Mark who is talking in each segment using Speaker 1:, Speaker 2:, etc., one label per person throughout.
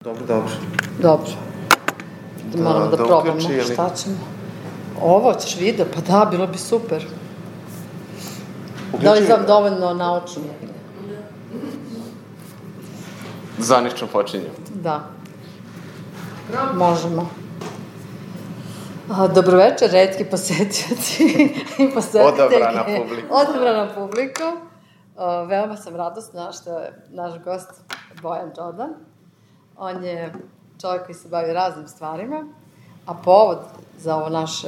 Speaker 1: Dobro.
Speaker 2: Dobro. Moramo da probamo šta ćemo. Ovo ćeš video, pa da, bilo bi super. Da li znam dovoljno naučno?
Speaker 1: Zvanično počinjemo.
Speaker 2: Da. Možemo. Dobroveče, retki posetioci i posetitelji. Odabrana publiku. Veoma sam radosna što je naš gost Bojan Đodan. On je čovjek koji se bavi raznim stvarima, a povod za ovo naše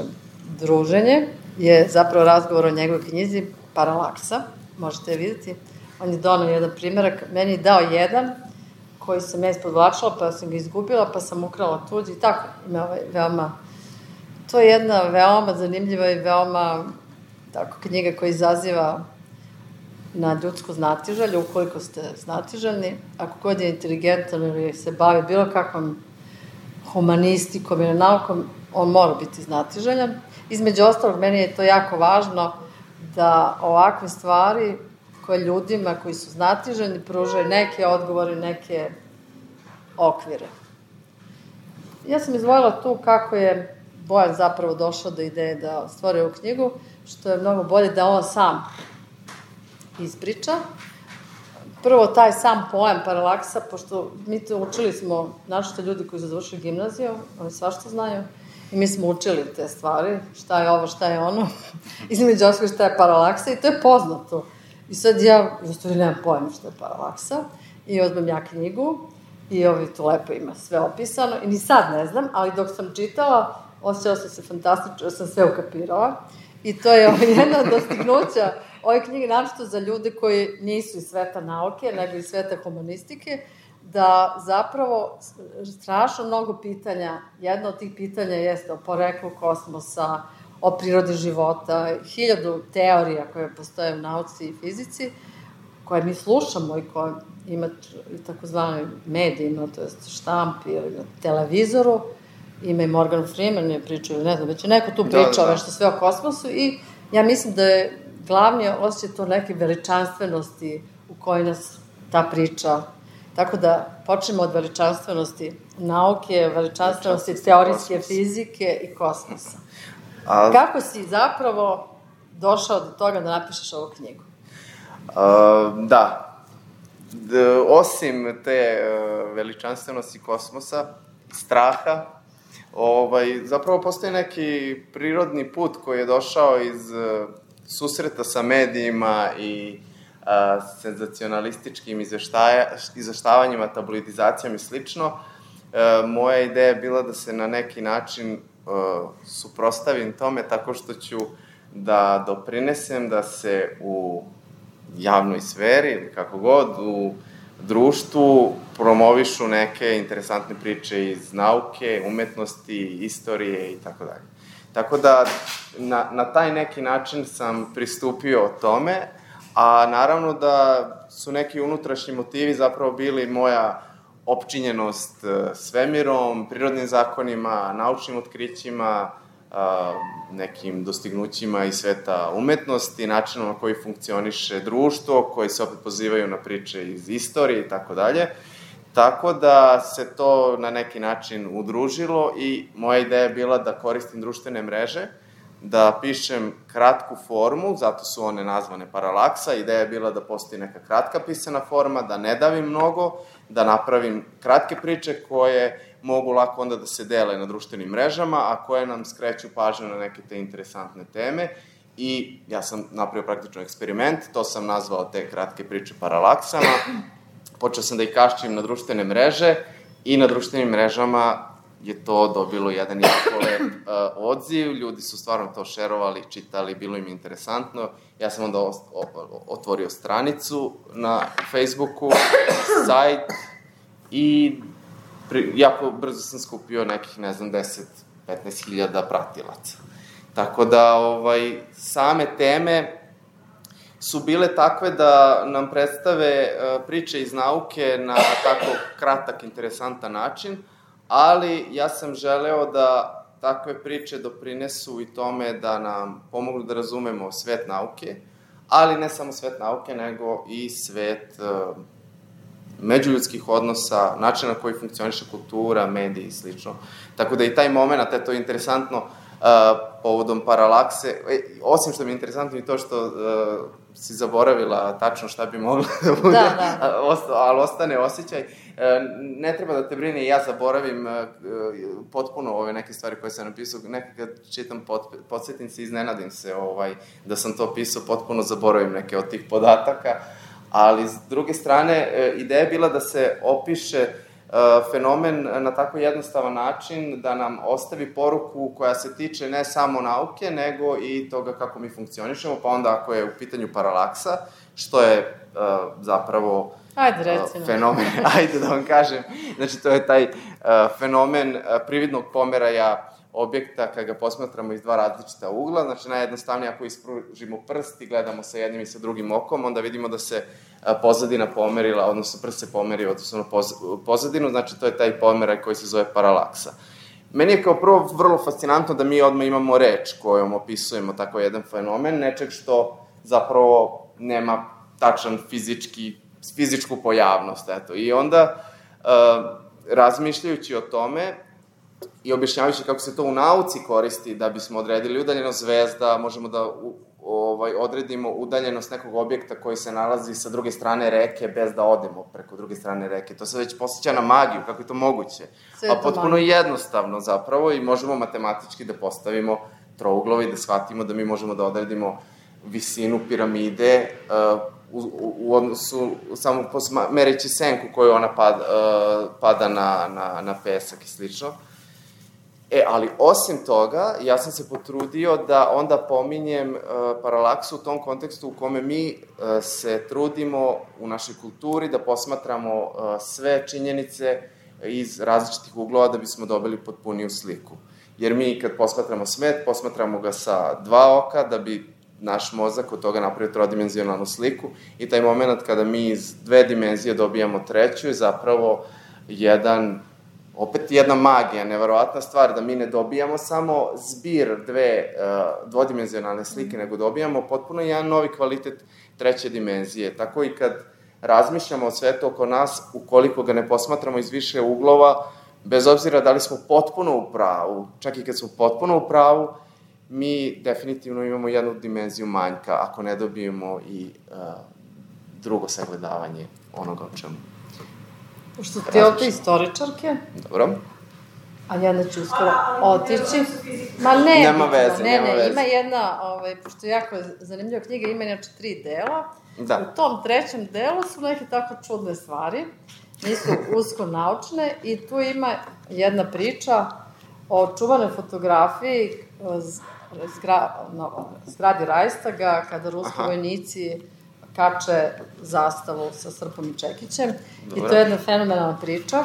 Speaker 2: druženje je zapravo razgovor o njegovoj knjizi Paralaksa. Možete je vidjeti. On je donao jedan primjerak. Meni je dao jedan koji sam ja ispodvlačila, pa sam ga izgubila, pa sam ukrala tuđi. I tako, to je jedna veoma zanimljiva i veoma knjiga koja izaziva na ljudsku znatiželju, ukoliko ste znatiželjni. Ako god je inteligentan ili se bavi bilo kakvom humanistikom ili naukom, on mora biti znatiželjan. Između ostalog, meni je to jako važno da ovakve stvari koje ljudima koji su znatiželjni pružaju neke odgovore, neke okvire. Ja sam izvojila tu kako je Bojan zapravo došao do ideje da stvori ovu knjigu, što je mnogo bolje da on sam ispriča. Prvo, taj sam pojam paralaksa, pošto mi to učili smo, našto ljudi koji su završili gimnaziju, oni svašta znaju, i mi smo učili te stvari, šta je ovo, šta je ono, između ostalog šta je paralaksa, i to je poznato. I sad ja, nemam pojma šta je paralaksa, i uzmem ja knjigu, i to lepo ima sve opisano, i ni sad ne znam, ali dok sam čitala, osjećala sam se fantastično, da sam sve ukapirala, i to je jedna od dostignuća ove knjige, naročito za ljude koji nisu iz sveta nauke, nego iz sveta humanistike, da zapravo strašno mnogo pitanja, jedno od tih pitanja jeste o poreklu kosmosa, o prirodi života, 1000 teorija koje postoje u nauci i fizici, koje mi slušamo i koje ima i takozvani medijima, to je štampi ili na televizoru, ima i Morgan Freeman je pričao, ili ne znam, već je neko tu pričao nešto sve o kosmosu, i ja mislim da je glavni osjećaj to neke veličanstvenosti u kojoj nas ta priča. Tako da počnemo od veličanstvenosti nauke, veličanstvenosti teorijske fizike i kosmosa. Kako si zapravo došao do toga da napišeš ovu knjigu?
Speaker 1: Osim te veličanstvenosti kosmosa, straha, zapravo postoji neki prirodni put koji je došao iz susreta sa medijima i senzacionalističkim izveštavanjima, tabloidizacijom i slično. Moja ideja je bila da se na neki način suprotstavim tome tako što ću da doprinesem da se u javnoj sferi ili kako god, u društvu promovišu neke interesantne priče iz nauke, umetnosti, istorije i tako dalje. Tako da na taj neki način sam pristupio tome, a naravno da su neki unutrašnji motivi zapravo bili moja opčinjenost svemirom, prirodnim zakonima, naučnim otkrićima, nekim dostignućima iz sveta umetnosti, načinom na koji funkcioniše društvo, koji se opet pozivaju na priče iz istorije i tako dalje. Tako da se to na neki način udružilo i moja ideja je bila da koristim društvene mreže, da pišem kratku formu, zato su one nazvane Paralaksa. Ideja je bila da postoji neka kratka pisana forma, da ne davim mnogo, da napravim kratke priče koje mogu lako onda da se dele na društvenim mrežama, a koje nam skreću pažnju na neke te interesantne teme. I ja sam napravio praktično eksperiment, to sam nazvao te kratke priče Paralaksama. Počeo sam da ih kaščim na društvene mreže i na društvenim mrežama je to dobilo jedan jako lep odziv, ljudi su stvarno to šerovali, čitali, bilo im interesantno. Ja sam onda otvorio stranicu na Facebooku, sajt i jako brzo sam skupio nekih, 10-15 hiljada pratilaca. Tako da same teme su bile takve da nam predstave priče iz nauke na tako kratak, interesantan način, ali ja sam želeo da takve priče doprinesu i tome da nam pomognu da razumemo svet nauke, ali ne samo svet nauke, nego i svet međuljudskih odnosa, načina na koji funkcioniše kultura, mediji i slično. Tako da i taj moment, to je interesantno, povodom paralakse, osim što mi je interesantno i to što si zaboravila tačno šta bi mogla da bude, ali ostane osjećaj. Ne treba da te brine i ja zaboravim potpuno ove neke stvari koje sam napisao. Nekad čitam podsjetim se, iznenadim se da sam to pisao, potpuno zaboravim neke od tih podataka, ali s druge strane ideja je bila da se opiše fenomen na tako jednostavan način da nam ostavi poruku koja se tiče ne samo nauke, nego i toga kako mi funkcionišemo, pa onda ako je u pitanju paralaksa, što je zapravo fenomen, ajde da vam kažem, znači to je taj fenomen prividnog pomeraja objekta kada ga posmatramo iz dva različita ugla, znači najjednostavnije ako ispružimo prst i gledamo sa jednim i sa drugim okom, onda vidimo da se pozadina pomerila, odnosno prst se pomerio odnosno na pozadinu, znači to je taj pomeraj koji se zove paralaksa. Meni je kao prvo vrlo fascinantno da mi odmah imamo reč kojom opisujemo tako jedan fenomen, nečeg što zapravo nema tačan fizičku pojavnost, eto. I onda, razmišljajući o tome i objašnjavajući kako se to u nauci koristi da bismo odredili udaljenost zvezda, možemo da odredimo udaljenost nekog objekta koji se nalazi sa druge strane reke bez da odemo preko druge strane reke. To se već posjeća na magiju, kako je to moguće. A potpuno jednostavno zapravo i možemo matematički da postavimo trouglove i da shvatimo da mi možemo da odredimo visinu piramide u odnosu, samo mereći senku koju ona pada na pesak i slično. Ali osim toga, ja sam se potrudio da onda pominjem paralaksu u tom kontekstu u kome mi se trudimo u našoj kulturi da posmatramo sve činjenice iz različitih uglova da bismo dobili potpuniju sliku. Jer mi kad posmatramo svet, posmatramo ga sa dva oka da bi naš mozak od toga napravio trodimenzionalnu sliku i taj moment kada mi iz dve dimenzije dobijamo treću je zapravo opet jedna magija, neverovatna stvar, da mi ne dobijamo samo zbir dve dvodimenzionalne slike, nego dobijamo potpuno jedan novi kvalitet treće dimenzije. Tako i kad razmišljamo o svetu oko nas, ukoliko ga ne posmatramo iz više uglova, bez obzira da li smo potpuno u pravu, čak i kad smo potpuno u pravu, mi definitivno imamo jednu dimenziju manjka, ako ne dobijemo i drugo sagledavanje onoga o čemu.
Speaker 2: Pošto ti ovde istoričarke,
Speaker 1: dobro,
Speaker 2: a ja neću uskoro otići.
Speaker 1: Nema veze.
Speaker 2: Ima jedna, pošto je jako zanimljiva knjiga, ima inače 3 dela. U tom 3. delu su neke tako čudne stvari, nisu usko naučne i tu ima jedna priča o čuvanoj fotografiji zgradi Rajstaga, kada ruski vojnici kače zastavu sa srpom i čekićem. I to je jedna fenomenalna priča.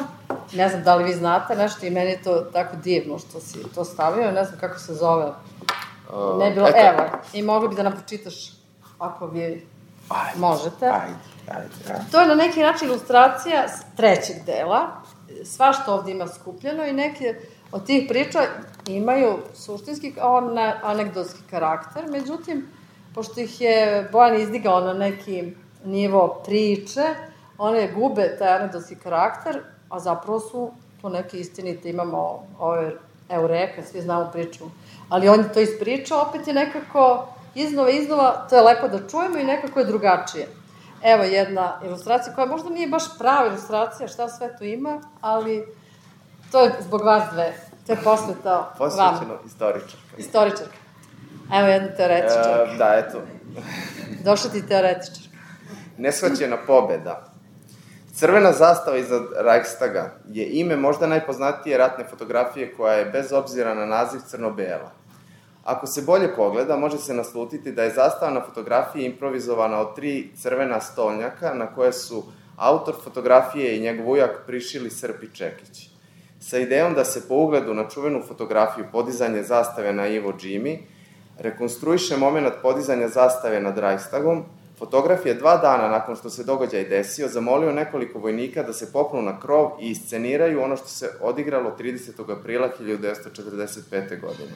Speaker 2: Ne znam da li vi znate nešto i meni je to tako divno što si to stavio. Ne znam kako se zove. Ne bilo, evo. I mogli bi da nam pročitaš ako vi možete. Ajde. To je na neki način ilustracija 3. dela. Svašta ovde ima skupljeno i neke od tih priča imaju suštinski anegdotski karakter. Međutim, pošto ih je Bojan izdigao na neki nivo priče, one gube taj anegdotski karakter, a zapravo su to neke istinite. Imamo ove Eureka, svi znamo priču, ali on je to ispričao, opet je nekako iznova, to je lepo da čujemo i nekako je drugačije. Evo jedna ilustracija koja možda nije baš prava ilustracija, šta sve tu ima, ali to je zbog vas dve. To je posveta vama.
Speaker 1: Posvećeno istoričarka.
Speaker 2: Evo jedna teoretičarka.
Speaker 1: Da, eto.
Speaker 2: Došla ti teoretičarka.
Speaker 1: Neshvaćena pobeda. Crvena zastava iza Reichstaga je ime možda najpoznatije ratne fotografije koja je bez obzira na naziv crno-bela. Ako se bolje pogleda, može se naslutiti da je zastava na fotografiji improvizovana od 3 crvena stolnjaka na koje su autor fotografije i njegov ujak prišili srp i čekić. Sa idejom da se po ugledu na čuvenu fotografiju podizanje zastave na Iwo Jima rekonstruiše moment podizanja zastave nad Reichstagom, fotograf je 2 dana nakon što se događaj desio zamolio nekoliko vojnika da se popnu na krov i isceniraju ono što se odigralo 30. aprila 1945. godine.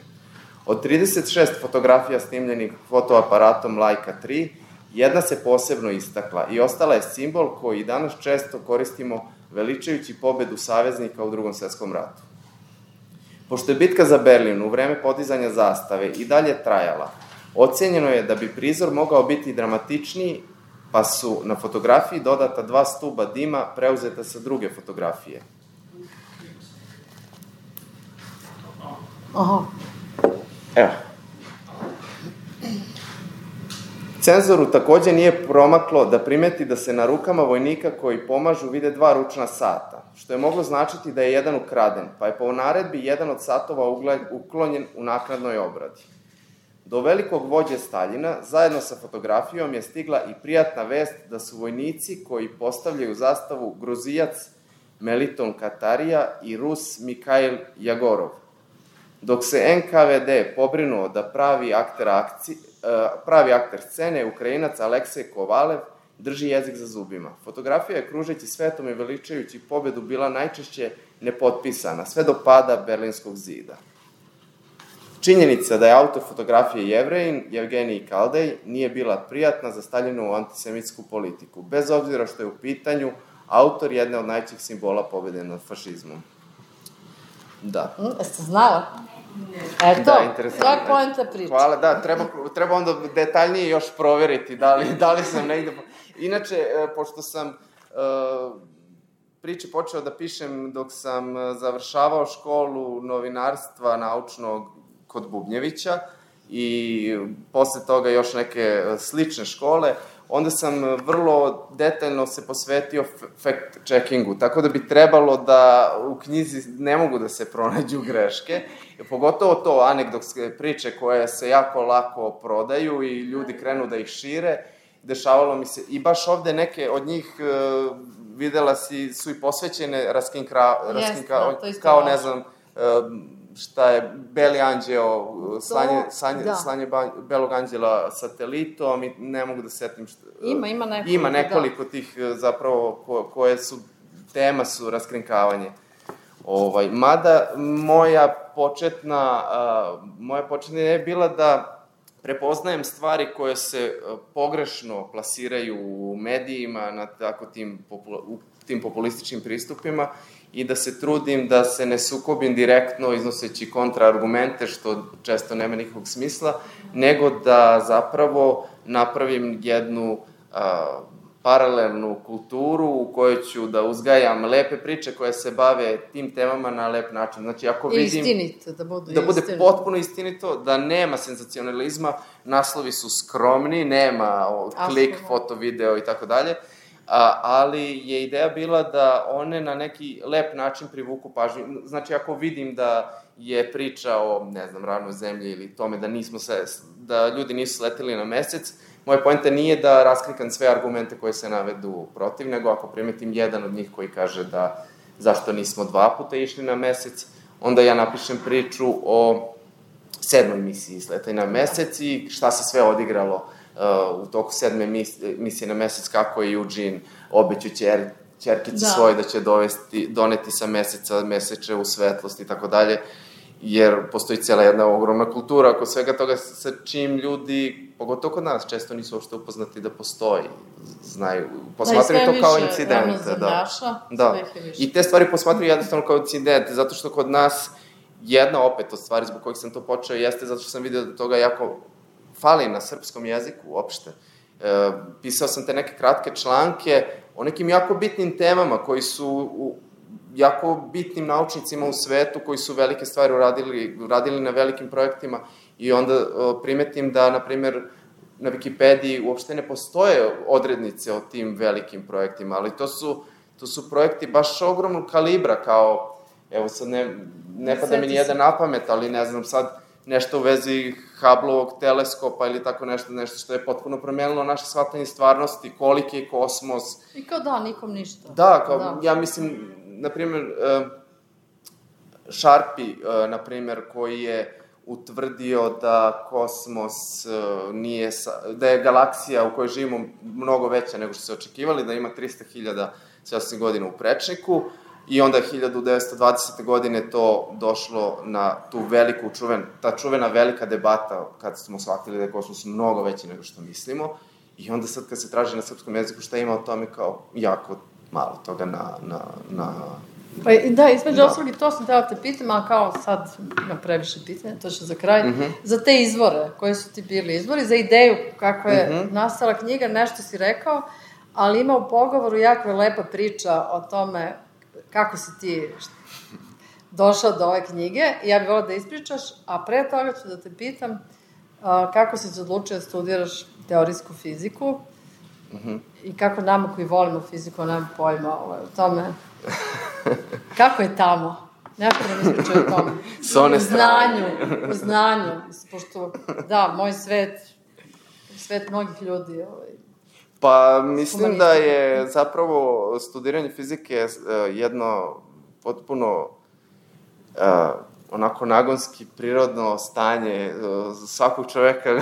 Speaker 1: Od 36 fotografija snimljenih fotoaparatom Leica 3, Jedna se posebno istakla i ostala je simbol koji danas često koristimo veličajući pobedu saveznika u Drugom svetskom ratu. Pošto je bitka za Berlin u vreme podizanja zastave i dalje trajala, ocenjeno je da bi prizor mogao biti dramatičniji, pa su na fotografiji dodata 2 stuba dima preuzeta sa druge fotografije.
Speaker 2: Aha.
Speaker 1: Evo. Cenzoru takođe nije promaklo da primeti da se na rukama vojnika koji pomažu vide 2 ručna sata, što je moglo značiti da je jedan ukraden, pa je po naredbi jedan od satova uklonjen u naknadnoj obradi. Do velikog vođe Staljina, zajedno sa fotografijom, je stigla i prijatna vest da su vojnici koji postavljaju zastavu Gruzijac Meliton Katarija i Rus Mikhail Jagorov, dok se NKVD pobrinuo da pravi akter scene, Ukrajinac Aleksej Kovalev, drži jezik za zubima. Fotografija je kružeći svetom i veličajući pobedu bila najčešće nepotpisana, sve do pada Berlinskog zida. Činjenica da je autor fotografije Jevrejin, Jevgenij Kaldej, nije bila prijatna za Staljinovu antisemitsku politiku, bez obzira što je u pitanju autor jedne od najčih simbola pobede nad fašizmom. Da.
Speaker 2: Jeste znala? Eto,
Speaker 1: Da, interesantno.
Speaker 2: to je poenta priče.
Speaker 1: Hvala, da, treba onda detaljnije još proveriti da li sam negde... Inače, pošto sam priče počeo da pišem dok sam završavao školu novinarstva naučnog kod Bubnjevića i posle toga još neke slične škole, onda sam vrlo detaljno se posvetio fact-checkingu, tako da bi trebalo da u knjizi ne mogu da se pronađu greške, pogotovo to anegdotske priče koje se jako lako prodaju i ljudi krenu da ih šire. Dešavalo mi se, i baš ovde neke od njih videla su i posvećene kao ne znam, šta je Beli anđeo, slanje Belog anđela satelitom i ne mogu da setim šta... Ima nekoliko tih zapravo koje su, tema su raskrinkavanje. Mada moja početna je bila da prepoznajem stvari koje se pogrešno plasiraju u medijima na tako tim populističkim pristupima i da se trudim da se ne sukobim direktno iznoseći kontraargumente, što često nema nikakvog smisla, nego da zapravo napravim jednu paralelnu kulturu u kojoj ću da uzgajam lepe priče koje se bave tim temama na lep način. Znači, ako vidim...
Speaker 2: Istinito,
Speaker 1: da bude potpuno istinito, da nema senzacionalizma, naslovi su skromni, nema klik, foto, video i tako dalje, ali je ideja bila da one na neki lep način privuku pažnju. Znači, ako vidim da je priča o, ne znam, ravnoj zemlji ili tome da ljudi nisu sleteli na mesec, moja poenta nije da raskrinkam sve argumente koje se navedu protiv, nego ako primetim jedan od njih koji kaže da zašto nismo 2 puta išli na mesec, onda ja napišem priču o 7. misiji Sletaj na mesec i šta se sve odigralo u toku 7. misije na mesec, kako je Eugene obećao ćerkici svoj da će doneti sa meseca meseče u svetlost i tako dalje, jer postoji cijela jedna ogromna kultura oko svega toga sa čim ljudi, pogotovo kod nas, često nisu uopšte upoznati da postoji, znaju, posmatraju to kao incidente. Da, i te stvari posmatraju jednostavno kao incidente, zato što kod nas jedna opet od stvari zbog kojih sam to počeo jeste zato što sam vidio da toga jako fali na srpskom jeziku uopšte. Pisao sam te neke kratke članke o nekim jako bitnim temama koji su jako bitnim naučnicima u svetu koji su velike stvari uradili na velikim projektima i onda primetim da, na primer, na Wikipediji uopšte ne postoje odrednice o tim velikim projektima, ali to su projekti baš ogromnog kalibra, kao, evo sad ne pada mi nijedan na pamet, ali ne znam sad nešto u vezi Hubbleovog teleskopa ili tako nešto što je potpuno promenilo naše shvatanje stvarnosti, koliki je kosmos.
Speaker 2: I kao nikom ništa.
Speaker 1: Da, ja mislim, na primjer, Sharpie, na primjer, koji je utvrdio da kosmos nije, da je galaksija u kojoj živimo mnogo veća nego što se očekivali, da ima 300.000 svjetskih godina u prečniku, i onda je 1920. godine to došlo na tu veliku, ta čuvena velika debata, kad smo shvatili da je kosmos mnogo veći nego što mislimo, I onda sad kad se traži na srpskom jeziku šta ima o tome, kao jako malo toga na
Speaker 2: Pa da, između ostalog i to sam tela te pitam, ali kao sad ima previše pitanja, to će za kraj, za te izvore, koji su ti bili izvori, za ideju kako je nastala knjiga, nešto si rekao, ali ima u pogovoru jako lepa priča o tome kako si ti došao do ove knjige i ja bih volila da ispričaš, a pre toga ću da te pitam kako si se odlučio da studiraš teorijsku fiziku i kako nama koji volimo fiziku, nemam pojma o tome, kako je tamo? Nešto da mi ispričaju o tome.
Speaker 1: S one strane.
Speaker 2: U znanju, pošto, da, moj svet mnogih ljudi,
Speaker 1: Pa, mislim da je zapravo studiranje fizike jedno potpuno onako nagonski, prirodno stanje svakog čoveka.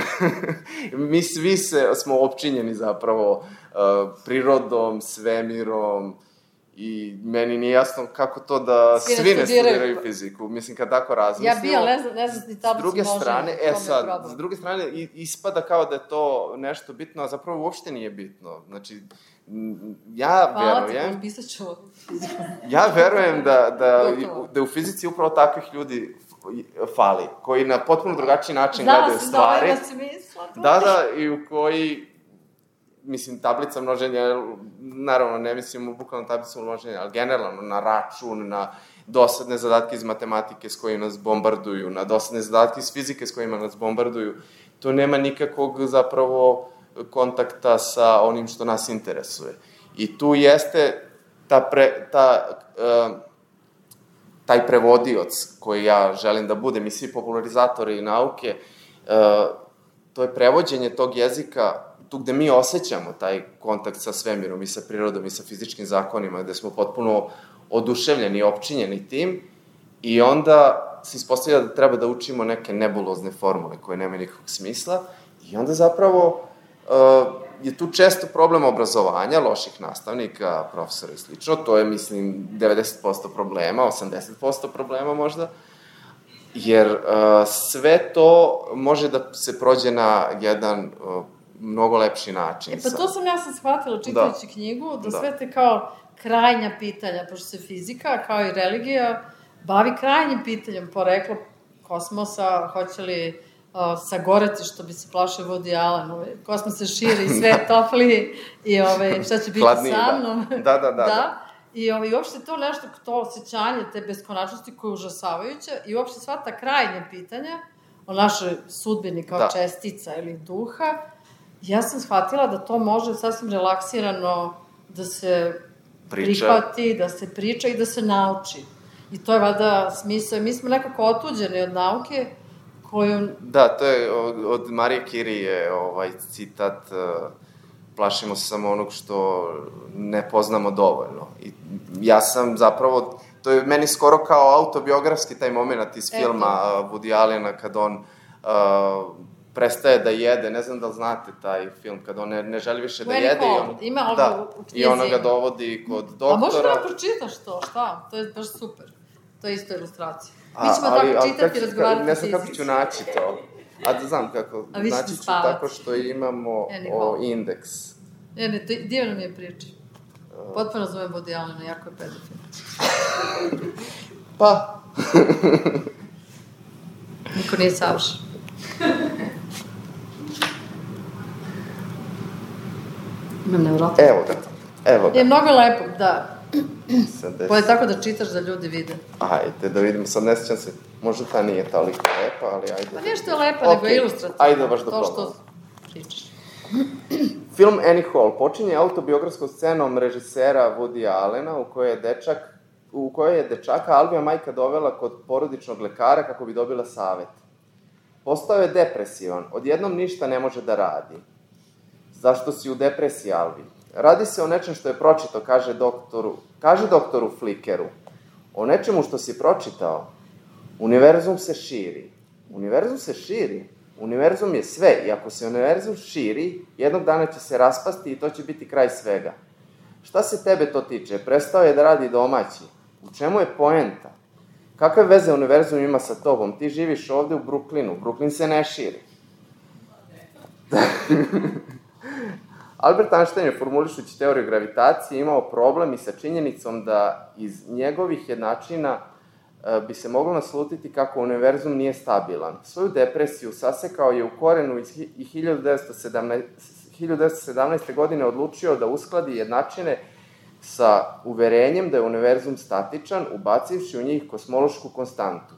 Speaker 1: Mi svi smo opčinjeni zapravo prirodom, svemirom i meni nije jasno kako to da svi ne studiraju fiziku. Mislim, kad tako razmislimo...
Speaker 2: Ja bi, ali ne znam ni tablicu može.
Speaker 1: S druge strane, ispada kao da je to nešto bitno, a zapravo uopšte nije bitno. Znači, ja verujem...
Speaker 2: Hvala ti, pisat ću fiziku.
Speaker 1: Ja verujem da u fizici upravo takvih ljudi fali, koji na potpuno drugačiji način gledaju stvari.
Speaker 2: Da si mislila.
Speaker 1: Da, i u koji, mislim, tablica množenja, naravno, ne mislim u bukvalno tablicu množenja, ali generalno na račun, na dosadne zadatke iz matematike s kojima nas bombarduju, na dosadne zadatke iz fizike s kojima nas bombarduju, to nema nikakvog zapravo kontakta sa onim što nas interesuje. I tu jeste taj prevodioc koji ja želim da budem i svi popularizatori nauke, to je prevođenje tog jezika tu gde mi osjećamo taj kontakt sa svemirom i sa prirodom i sa fizičkim zakonima, gde smo potpuno oduševljeni i opčinjeni tim i onda se ispostavlja da treba da učimo neke nebulozne formule koje nemaju nikakvog smisla i onda zapravo je tu često problem obrazovanja, loših nastavnika, profesora i slično. To je, mislim, 90% problema, 80% problema možda, jer sve to može da se prođe na jedan mnogo lepši način.
Speaker 2: Pa to sam shvatila čitajući knjigu, da sve te kao krajnja pitanja, pošto se fizika, kao i religija, bavi krajnjim pitanjem, poreklo kosmosa, hoće li sagoreti, što bi se plašao Woody Allen, kosmos se širi, sve je topli i šta će biti sa mnom.
Speaker 1: Da.
Speaker 2: I uopšte to nešto, to osjećanje, te beskonačnosti koje je užasavajuće i uopšte sva ta krajnja pitanja o našoj sudbini kao čestica ili duha, ja sam shvatila da to može sasvim relaksirano da se prihvati, da se priča i da se nauči. I to je vada smisao. Mi smo nekako otuđeni od nauke koju...
Speaker 1: Da, to je od Marije Kirije citat plašimo se samo onog što ne poznamo dovoljno. I ja sam zapravo, to je meni skoro kao autobiografski taj moment iz filma Woody Allena kad on prestaje da jede, ne znam da li znate taj film, kad on ne želi više da jede i ona ga dovodi kod doktora.
Speaker 2: A možda da pročitaš to, šta? To je baš super. To je isto ilustracija. Mi ćemo tako čitati i razgovarati
Speaker 1: ne znam kako ću naći to. A da znam kako, naći ću tako što imamo indeks.
Speaker 2: Divno mi je priča. Potpuno zovem Woody Allena, jako je pedofil.
Speaker 1: Pa.
Speaker 2: Niko nije savršen. Imam nevjerojatno.
Speaker 1: Evo ga.
Speaker 2: Je mnogo lepo, da. Bolje tako da čitaš da ljudi vide.
Speaker 1: Ajde, da vidimo. Sad ne sjećam se, možda ta nije toliko lepa, ali ajde.
Speaker 2: Pa nešto je lepa, nego je ilustrativno.
Speaker 1: Ajde, baš da
Speaker 2: probamo. To što pričaš.
Speaker 1: Film Annie Hall počinje autobiografskom scenom režisera Woody Allena u kojoj je dečaka Albija majka dovela kod porodičnog lekara kako bi dobila savet. Postao je depresivan, odjednom ništa ne može da radi. Zašto si u depresiji, Albi? Radi se o nečem što je pročitao, kaže doktoru Flickeru. O nečemu što si pročitao. Univerzum se širi. Univerzum se širi? Univerzum je sve i ako se univerzum širi, jednog dana će se raspasti i to će biti kraj svega. Šta se tebe to tiče? Prestao je da radi domaći. U čemu je poenta? Kakve veze univerzum ima sa tobom? Ti živiš ovde u Brooklynu. Brooklyn se ne širi. Albert Einstein je formulišući teoriju gravitacije imao problem i sa činjenicom da iz njegovih jednačina bi se moglo naslutiti kako univerzum nije stabilan. Svoju depresiju sasekao je u korenu i 1917. godine odlučio da uskladi jednačine sa uverenjem da je univerzum statičan, ubacivši u njih kosmološku konstantu.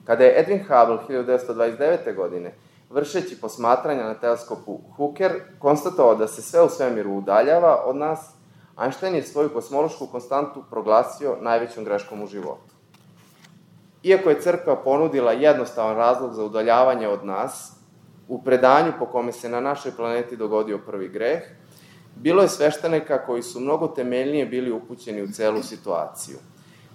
Speaker 1: Kada je Edwin Hubble 1929. godine, vršeći posmatranja na teleskopu Hooker, konstatovao da se sve u svemiru udaljava od nas, Einstein je svoju kosmološku konstantu proglasio najvećom greškom u životu. Iako je crkva ponudila jednostavan razlog za udaljavanje od nas, u predanju po kome se na našoj planeti dogodio prvi greh, bilo je sveštenika koji su mnogo temeljnije bili upućeni u celu situaciju.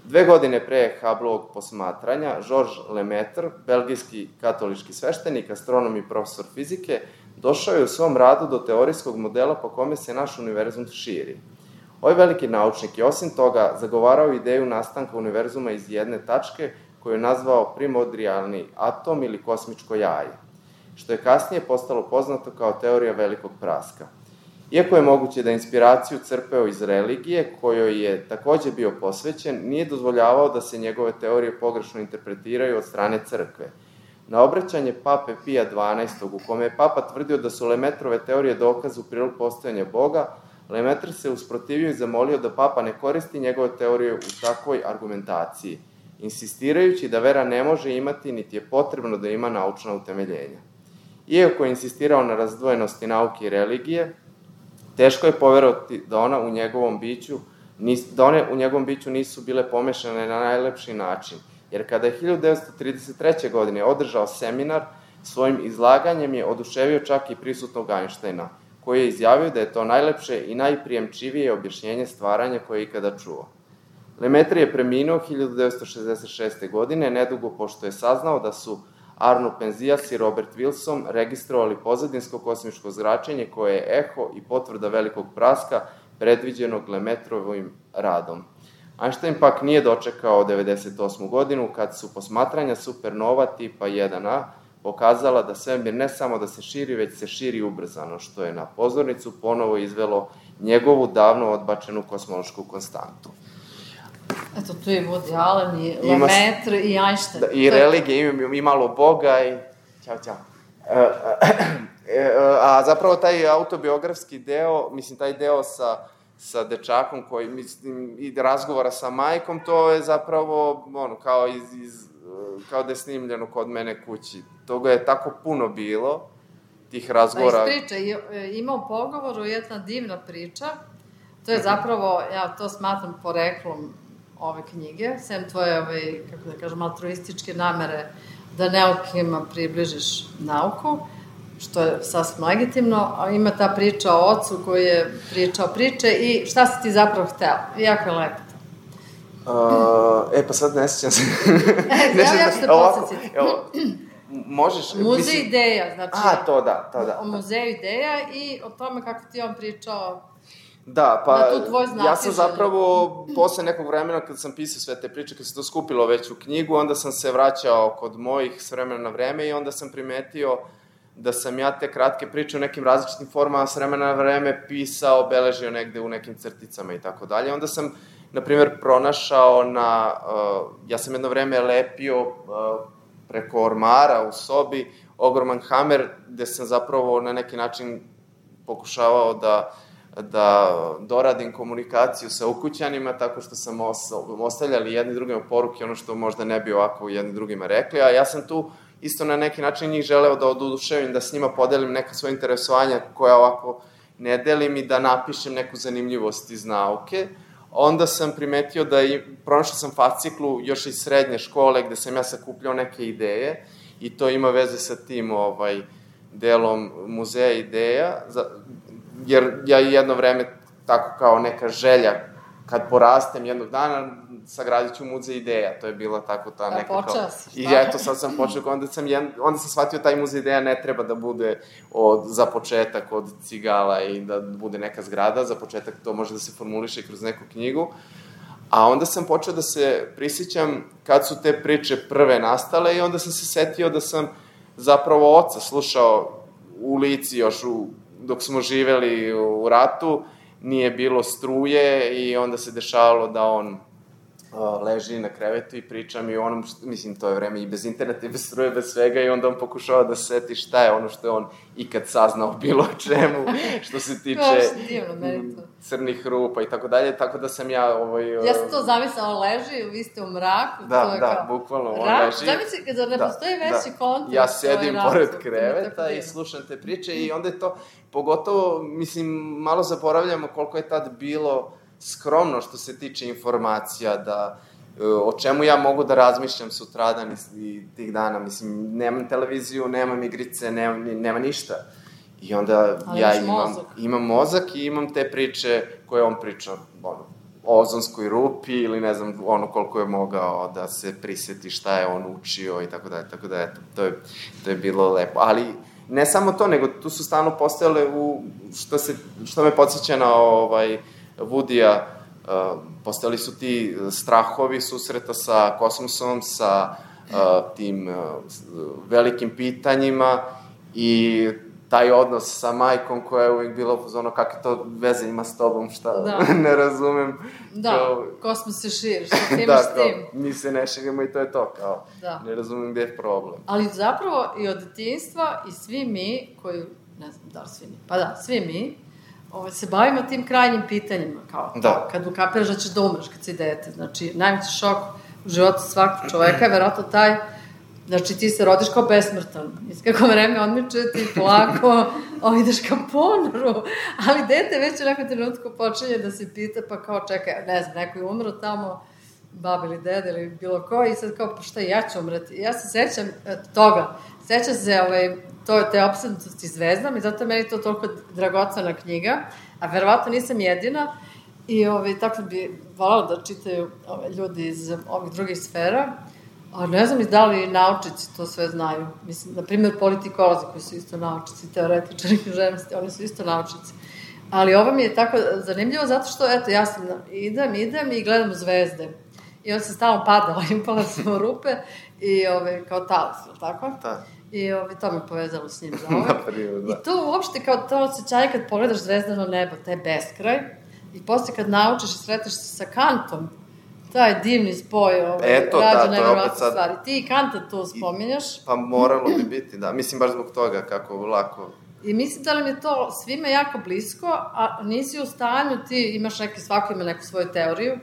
Speaker 1: 2 godine pre Hubbleovog posmatranja, Georges Lemaitre, belgijski katolički sveštenik, astronom i profesor fizike, došao je u svom radu do teorijskog modela po kome se naš univerzum širi. Ovaj veliki naučnik je osim toga zagovarao ideju nastanka univerzuma iz jedne tačke koju je nazvao primordijalni atom ili kosmičko jaje, što je kasnije postalo poznato kao teorija velikog praska. Iako je moguće da inspiraciju crpeo iz religije, kojoj je takođe bio posvećen, nije dozvoljavao da se njegove teorije pogrešno interpretiraju od strane crkve. Na obraćanje pape Pija XII, u kome je papa tvrdio da su Lemaitrove teorije dokaz u prilog postojanja Boga, Lemaitre se usprotivio i zamolio da papa ne koristi njegove teorije u takvoj argumentaciji, insistirajući da vera ne može imati, niti je potrebno da ima naučna utemeljenja. Iako je insistirao na razdvojenosti nauke i religije, teško je poverovati da one u njegovom biću nisu bile pomešane na najlepši način, jer kada je 1933. godine održao seminar, svojim izlaganjem je oduševio čak i prisutnog Einsteina, koji je izjavio da je to najlepše i najprijemčivije objašnjenje stvaranja koje je ikada čuo. Lemaitre je preminuo 1966. godine, nedugo pošto je saznao da su Arno Penzias i Robert Wilson registrovali pozadinsko kosmičko zračenje koje je eho i potvrda velikog praska predviđenog Lemaitrovim radom. Einstein pak nije dočekao 1998. godinu kad su posmatranja supernova tipa 1A pokazala da svemir ne samo da se širi, već se širi ubrzano, što je na pozornicu ponovo izvelo njegovu davno odbačenu kosmološku konstantu.
Speaker 2: Eto, tu je Woody Allen i Lemaitre i Einstein.
Speaker 1: Da, i religije, i malo Boga i... Ćao. A zapravo taj autobiografski deo, mislim, taj deo sa dečakom koji, mislim, i razgovora sa majkom, to je zapravo, kao da je snimljeno kod mene kući. Toga je tako puno bilo, tih razgovora.
Speaker 2: Da, iz priče, imao pogovoru jedna divna priča, to je zapravo, ja to smatram poreklom ove knjige, sem tvoje, kako da kažem, altruističke namere da neukima približiš nauku, što je sasvim legitimno, a ima ta priča o ocu koji je pričao priče i šta si ti zapravo hteo. Jako je lepo to.
Speaker 1: Pa sad ne sjećam se.
Speaker 2: Ja ću te podsjetiti.
Speaker 1: Možeš...
Speaker 2: Muzej ideja, znači...
Speaker 1: To da.
Speaker 2: O muzeju ideja i o tome kako ti on pričao...
Speaker 1: Da, pa ja sam
Speaker 2: želju.
Speaker 1: zapravo, posle nekog vremena kad sam pisao sve te priče, kad se to skupilo već u knjigu, onda sam se vraćao kod mojih s vremena na vreme i onda sam primetio da sam ja te kratke priče u nekim različitim formama s vremena na vreme pisao, beležio negde u nekim crticama i tako dalje. Onda sam, na primjer, pronašao ja sam jedno vreme lepio preko ormara u sobi ogroman hamer, gde sam zapravo na neki način pokušavao da doradim komunikaciju sa ukućanima, tako što sam ostavljali jedni drugima poruke, ono što možda ne bi ovako jedni drugima rekli, a ja sam tu isto na neki način njih želeo da oduševim, da s njima podelim neka svoje interesovanja koja ovako ne delim i da napišem neku zanimljivost iz nauke. Onda sam primetio pronašao sam fasciklu još iz srednje škole gde sam ja sakupljao neke ideje i to ima veze sa tim delom muzeja ideja, jer ja jedno vreme, tako kao neka želja, kad porastem jednog dana, sagradit ću muzej ideja, to je bila tako ta neka kao...
Speaker 2: Počeo si, šta?
Speaker 1: I eto, sad sam počeo, onda sam shvatio taj muzej ideja ne treba da bude za početak od cigala i da bude neka zgrada, za početak to može da se formuliše kroz neku knjigu, a onda sam počeo da se prisjećam kad su te priče prve nastale i onda sam se setio da sam zapravo oca slušao u lici još dok smo živeli u ratu, nije bilo struje i onda se dešavalo da on leži na krevetu i priča mi o onom, mislim, to je vreme i bez interneta, i bez struje, bez svega, i onda on pokušava da se seti šta je ono što je on ikad saznao bilo o čemu, što se tiče crnih rupa i tako dalje, tako da sam ja...
Speaker 2: Ja sam to zamislila, on leži, vi ste u mraku,
Speaker 1: da, bukvalno, on leži.
Speaker 2: Zamisli, kada ne postoji veći kontakt...
Speaker 1: Ja sedim pored kreveta i slušam te priče i onda je to, pogotovo, mislim, malo zaboravljamo koliko je tad bilo skromno što se tiče informacija, da o čemu ja mogu da razmišljam sutradan i tih dana, mislim, nemam televiziju, nemam igrice, nema ništa. I onda ja imam mozak i imam te priče koje on priča, o ozonskoj rupi ili ne znam, koliko je mogao da se priseti šta je on učio i tako dalje, tako da, eto, to je bilo lepo. Ali ne samo to, nego tu su stalno postojale, što me podsjeća na Woodija, postojali su ti strahovi susreta sa kosmosom, sa tim velikim pitanjima i taj odnos sa majkom koja je uvijek bila ono kakve to veze ima s tobom, šta ne razumem.
Speaker 2: Da, kosmos se širi, šta ti imaš s tim?
Speaker 1: Mi se ne širimo i to je to, kao, ne razumem gde je problem.
Speaker 2: Ali zapravo i od detinjstva i svi mi koji, ne znam da li svi mi, pa da, svi mi, se bavimo tim krajnjim pitanjima, kao kad ukapiraš da ćeš da umreš kad si dete. Znači, najveći šok u životu svakog čoveka je verovatno taj, znači ti se rodiš kao besmrtan. I kako vreme odmiče, ti polako ideš ka ponoru, ali dete već u nekom trenutku počinje da se pita, pa kao čekaj, ne znam, neko je umro tamo, baba ili dede ili bilo ko, i sad kao, pa šta, ja ću umreti. Ja se sećam toga, sećam se te opsednutosti zvezdama i zato je meni to toliko dragocena knjiga, a verovatno nisam jedina i tako bi voljela da čitaju ljudi iz ovih drugih sfera, a ne znam da li naučici to sve znaju. Mislim, na primjer, politikolozi koji su isto naučici, teoretičari književnosti, oni su isto naučici. Ali ovo mi je tako zanimljivo zato što, eto, ja sam idem i gledam u zvezde. I onda sam stalno padala i upala sam u rupe i kao talas, ili tako? Da. I to me povezalo s njim za ovo. I to uopšte kao to osjećanje kad pogledaš zvezdano nebo, taj beskraj, i posle kad naučiš i sreteš se sa Kantom, taj divni spoj rađa nevjerovatne stvari. Ti i Kanta tu spominjaš.
Speaker 1: Pa moralo bi biti, da. Mislim, baš zbog toga kako lako...
Speaker 2: I mislim da li mi je to svima jako blisko, a nisi u stanju, ti imaš svako ima neku svoju teoriju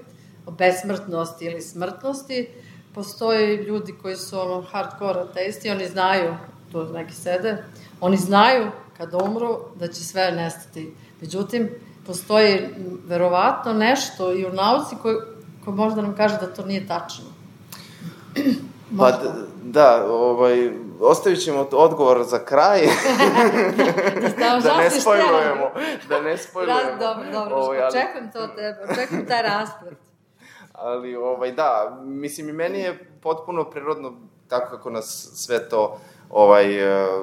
Speaker 2: o besmrtnosti ili smrtnosti. Postoje ljudi koji su hardcore ateisti, oni znaju, tu neki sede, oni znaju kada umru da će sve nestati. Međutim, postoji verovatno nešto i u nauci ko možda nam kaže da to nije tačno.
Speaker 1: Pa da, ostavit ćemo odgovor za kraj. Da ne spojlujemo.
Speaker 2: Dobro, očekujem to od tebe, očekujem taj rasplet.
Speaker 1: Ali, da, mislim, i meni je potpuno prirodno tako kako nas sve to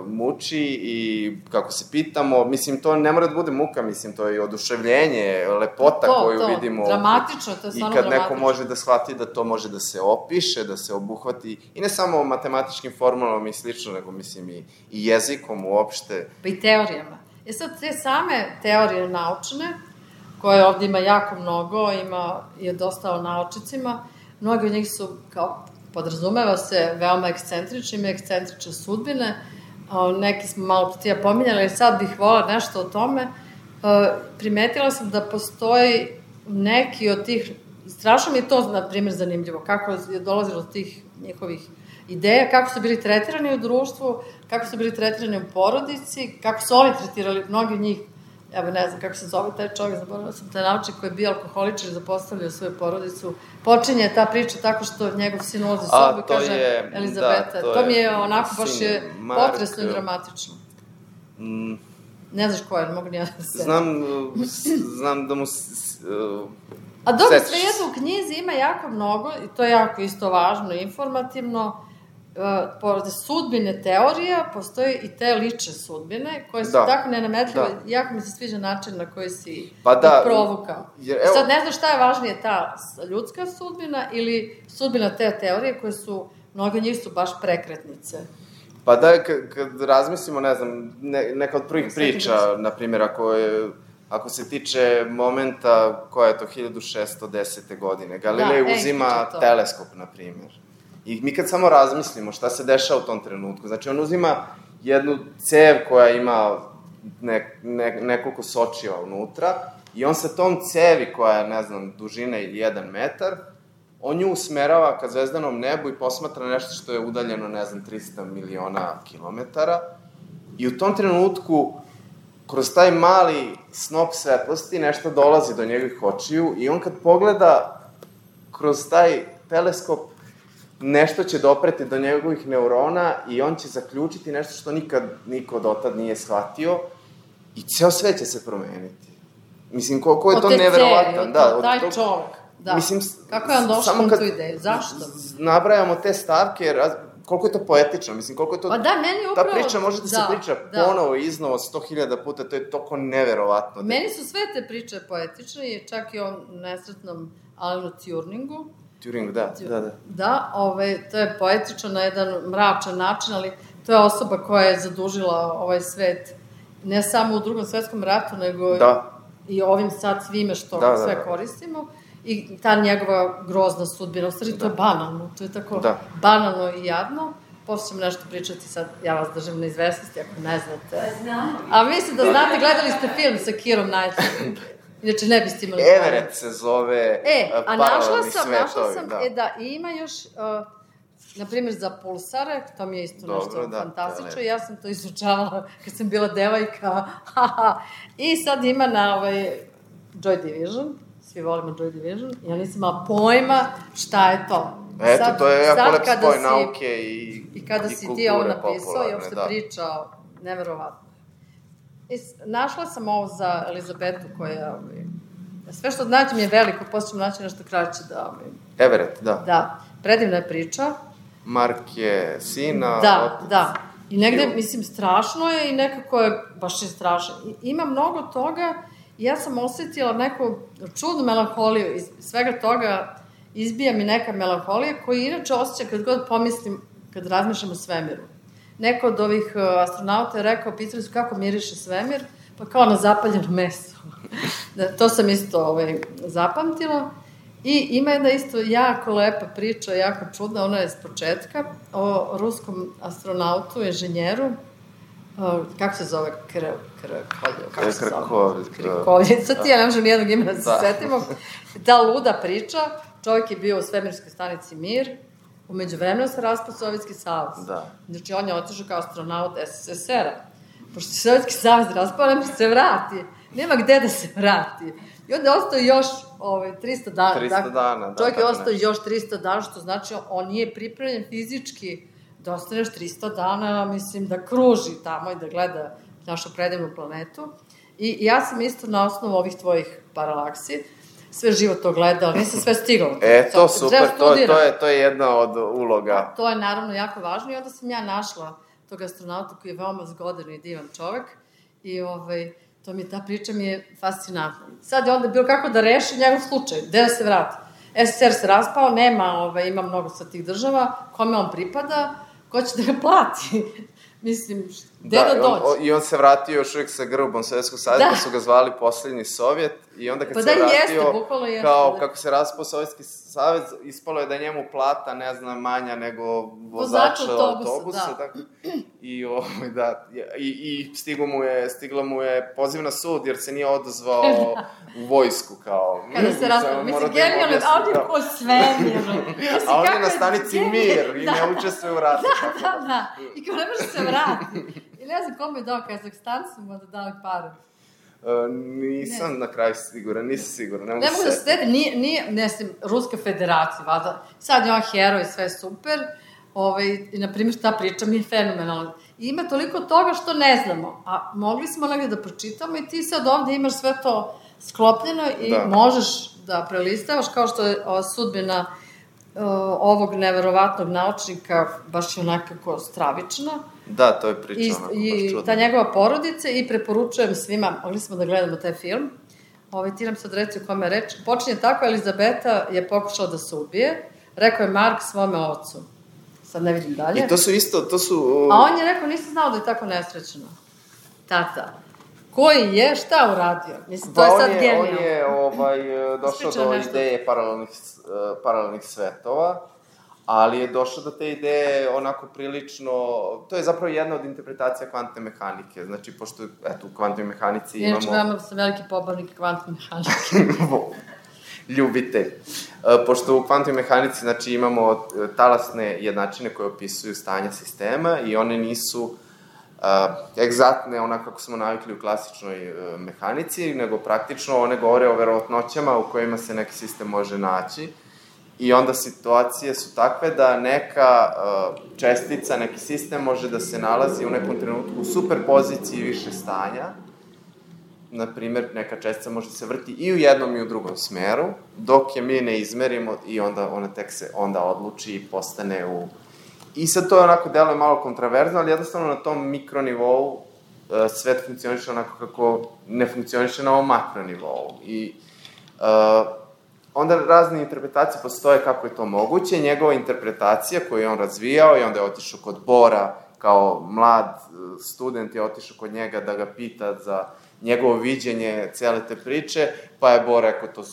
Speaker 1: muči i kako se pitamo, mislim, to ne mora da bude muka, mislim, to je i oduševljenje, lepota koju vidimo.
Speaker 2: Dramatično, to je stvarno
Speaker 1: dramatično. I kad neko može da shvati da to može da se opiše, da se obuhvati, i ne samo matematičkim formulama i slično, nego, mislim, i jezikom uopšte.
Speaker 2: Pa i teorijama. Sad, te same teorije naučne, koje ovde ima jako mnogo, ima i dosta o naučicima, mnogi od njih su, kao podrazumeva se, veoma ekscentrični, ima ekscentrične sudbine, neki smo malo protija pominjali, ali sad bih volila nešto o tome. Primetila sam da postoji neki od tih, strašno mi je to, na primjer, zanimljivo, kako je dolazilo do tih njihovih ideja, kako su bili tretirani u društvu, kako su bili tretirani u porodici, kako su oni tretirali, mnogi od njih, evo ne znam kako se zove taj čovjek, zaboravila sam taj naučnik koji je bio alkoholičar i zapostavljao svoju porodicu. Počinje ta priča tako što njegov sin ulazi u sobu i kaže Elizabeta. To mi je onako baš je potresno i dramatično. Ne znaš ko je, ne mogu ni ja da se...
Speaker 1: Znam da mu...
Speaker 2: A dobro, svejedno u knjizi ima jako mnogo i to je jako isto važno i informativno. Pored sudbine teorija, postoje i te lične sudbine, koje su tako nenametljive. Jako mi se sviđa način na koji si ih provukao. Sad ne znam šta je važnije, ta ljudska sudbina ili sudbina te teorije, koje su, mnogo njih su baš prekretnice.
Speaker 1: Pa da, kad razmislimo, ne znam, neka od prvih priča, na primjer, ako se tiče momenta, koja je to 1610. godine, Galilej uzima teleskop, na primjer. I mi kad samo razmislimo šta se dešava u tom trenutku, znači on uzima jednu cev koja ima nekoliko sočiva unutra i on sa tom cevi koja je, ne znam, dužine 1 metar, on nju usmerava ka zvezdanom nebu i posmatra nešto što je udaljeno, ne znam, 300 miliona kilometara. I u tom trenutku, kroz taj mali snop svetlosti, nešto dolazi do njegovih očiju i on kad pogleda kroz taj teleskop, nešto će dopreti do njegovih neurona i on će zaključiti nešto što nikad niko dotad nije shvatio i ceo svet će se promeniti. Mislim, koliko je to neverovatan.
Speaker 2: Da, taj čovek. Da. Mislim, kako je on došao na tu ideju? Zašto?
Speaker 1: Nabrajamo te stavke, koliko je to poetično, mislim, koliko je to...
Speaker 2: Pa da, meni je upravo...
Speaker 1: Ta priča može da se priča ponovo i iznova 100.000 puta, to je toliko neverovatno.
Speaker 2: Meni su sve te priče poetične, i čak i o nesretnom Alanu Turingu.
Speaker 1: Turing, da.
Speaker 2: Da, to je poetično na jedan mračan način, ali to je osoba koja je zadužila ovaj svet, ne samo u Drugom svetskom ratu, nego i ovim sad svime što sve koristimo. I ta njegova grozna sudbina, u stvari to je banalno, to je tako banalno i jadno. Posle ćemo nešto pričati, sad ja vas držim na izvesnosti, ako ne znate. A mislim da znate, gledali ste film sa Keerom Knightleyom. Inače, ne biste imali...
Speaker 1: Everett se zove paralelni svetovi.
Speaker 2: Našla sam, da, i ima još, na primjer, za pulsare, to mi je isto nešto fantastično, ja sam to izučavala kad sam bila devojka, i sad ima na Joy Division, svi volimo Joy Division, ja nisam imala pojma šta je to.
Speaker 1: Eto, to je jako lep spoj nauke i kulture popularne.
Speaker 2: I kada si ti ovo napisao i uopšte pričao, neverovatno. Našla sam ovo za Elizabetu koja, sve što znači mi je veliko, posle ćemo naći nešto kraće da...
Speaker 1: Everett, da.
Speaker 2: Da, predivna je priča.
Speaker 1: Mark je sina...
Speaker 2: Da. I negde, mislim, strašno je i nekako je, baš je strašno. Ima mnogo toga i ja sam osetila neku čudnu melanholiju. Iz svega toga izbija mi neka melanholija koju inače osjeća kad god pomislim, kad razmišljam o svemiru. Neko od ovih astronauta je rekao, pitali su kako miriše svemir, pa kao na zapaljeno meso. To sam isto zapamtila. I ima jedna isto jako lepa priča, jako čudna, ona je s početka, o ruskom astronautu, inženjeru, kako se zove, Krkovlje, sad ti ja ne možem nijednog imena da se setimo. Ta luda priča, čovjek je bio u svemirskoj stanici Mir, umeđu vremenu se raspao Sovjetski savez. Znači, on je otišao kao astronaut SSSR-a. Pošto se Sovjetski savez raspao, ne može se vrati. Nema gde da se vrati. I onda je ostao još 300 dana.
Speaker 1: 300 dana, da.
Speaker 2: Čovjek je ostao još 300 dana, što znači on nije pripremljen fizički da ostaneš 300 dana, mislim, da kruži tamo i da gleda našu predivnu planetu. I ja sam isto na osnovu ovih tvojih paralaksi sve živo to gledala, nisam sve stigla.
Speaker 1: To super, to je jedna od uloga.
Speaker 2: To je naravno jako važno i onda sam ja našla tog astronauta koji je veoma zgodan i divan čovek i ta priča mi je fascinantna. Sad je onda bilo kako da reši njegov slučaj, gde da se vrati. SSR se raspao, ima mnogo sa tih država, kome on pripada, ko će da ga plati. Mislim, gde da dođe?
Speaker 1: I on se vratio još uvijek sa grbom Sovjetskog saveza, pa su ga zvali poslednji Sovjet, i onda kad se vratio, kao kako se raspao Sovjetski savez, ispalo je da je njemu plata, ne znam, manja nego vozača autobusa. I stigla mu je poziv na sud, jer se nije odazvao u vojsku, kao...
Speaker 2: Kada se raspao, mislim, genijalno, a on je ko svemir.
Speaker 1: A on je na stanici Mir i ne učestvuje u ratu.
Speaker 2: Da, i kao ne može se vrati. I ne znam kome je dao Kazahstan, su mu da dali pare.
Speaker 1: Nisam na kraju siguran, nisam siguran.
Speaker 2: Ne mogu da se tete, nije, ne znam, Ruska federacija, vada. Sad je on heroj, sve super. I, na primjer, ta priča mi je fenomenalna. I ima toliko toga što ne znamo. A mogli smo negdje da pročitamo i ti sad ovdje imaš sve to sklopljeno i možeš da prelistavaš, kao što je sudbina ovog neverovatnog naučnika baš je onakako stravična.
Speaker 1: Da, to je priča onako baš čudno.
Speaker 2: I ta njegova porodica i preporučujem svima, mogli smo da gledamo taj film. Ti nam sad reci o kome je reč. Počinje tako, Elizabeta je pokušala da se ubije. Rekao je Mark svome ocu. sad ne vidim dalje.
Speaker 1: I to su isto,
Speaker 2: A on je rekao, nisam znao da je tako nesrećno. Tata. Koji je, šta uradio? Mislim, to je sad genijalno.
Speaker 1: On je došao do ideje paralelnih svetova, ali je došao do te ideje onako prilično... To je zapravo jedna od interpretacija kvantne mehanike. Znači, pošto, eto, u kvantnoj mehanici imamo...
Speaker 2: Inače, veoma sam veliki pobornik kvantne mehanike.
Speaker 1: Ljubitelj. Pošto u kvantnoj mehanici, znači, imamo talasne jednačine koje opisuju stanja sistema i one nisu egzaktne, onako kako smo navikli u klasičnoj mehanici, nego praktično one govore o verovatnoćama u kojima se neki sistem može naći. I onda situacije su takve da neka čestica, neki sistem može da se nalazi u nekom trenutku u superpoziciji više stanja. Naprimer, neka čestica može da se vrti i u jednom i u drugom smeru, dok je mi ne izmerimo i onda ona tek se onda odluči i postane u... I sad to je onako deluje malo kontraverzno, ali jednostavno na tom mikronivou svet funkcioniše onako kako ne funkcioniše na ovom makronivou. I onda razne interpretacije postoje kako je to moguće. Njegova interpretacija koju je on razvijao i onda je otišao kod Bora, kao mlad student je otišao kod njega da ga pita za njegovo viđenje cele te priče, pa je Bor rekao,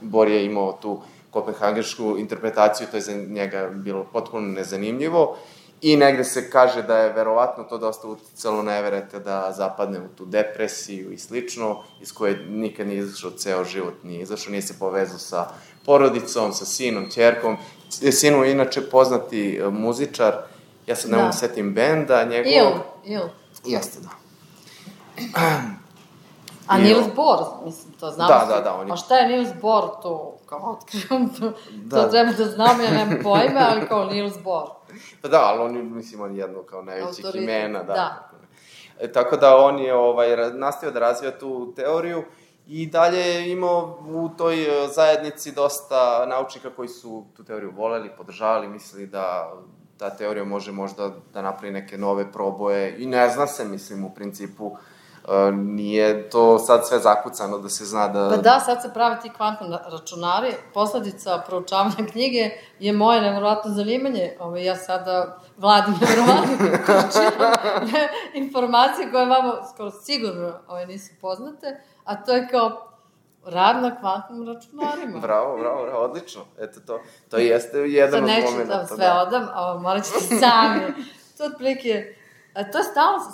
Speaker 1: Bor je imao tu kopenhagešku interpretaciju, to je za njega bilo potpuno nezanimljivo i negde se kaže da je verovatno to dosta uticalo na Everetta da zapadne u tu depresiju i slično, iz koje nikad nije izašao, ceo život nije izašao, nije se povezao sa porodicom, sa sinom, ćerkom. Sinu je inače poznati muzičar, ja sad ne mogu setim benda njegovog...
Speaker 2: Il.
Speaker 1: Jeste, da.
Speaker 2: A Niels Bohr, mislim, to znamo.
Speaker 1: Da.
Speaker 2: A šta je Niels Bohr to, kao otkrivam to treba da znam, ja nemam pojme, ali kao Niels Bohr.
Speaker 1: Pa da, ali on je jedno kao najvećih imena,
Speaker 2: da.
Speaker 1: Tako da on je nastavio da razvija tu teoriju i dalje je imao u toj zajednici dosta naučnika koji su tu teoriju voleli, podržavali, mislili da ta teorija može možda da napravi neke nove proboje i ne zna se, mislim, u principu nije to sad sve zakucano da se zna da...
Speaker 2: Pa da, sad se prave ti kvantni računari. Posledica proučavanja knjige je moje nevjerovatno zanimanje. Ja sada vladim nevjerovatno količinom informacije koje vama skoro sigurno nisu poznate, a to je kao rad na kvantnim računarima.
Speaker 1: Bravo, odlično. Eto, to jeste jedan od momenta.
Speaker 2: Sad neću da sve odam, a morat ćete sami. To otprilike... To je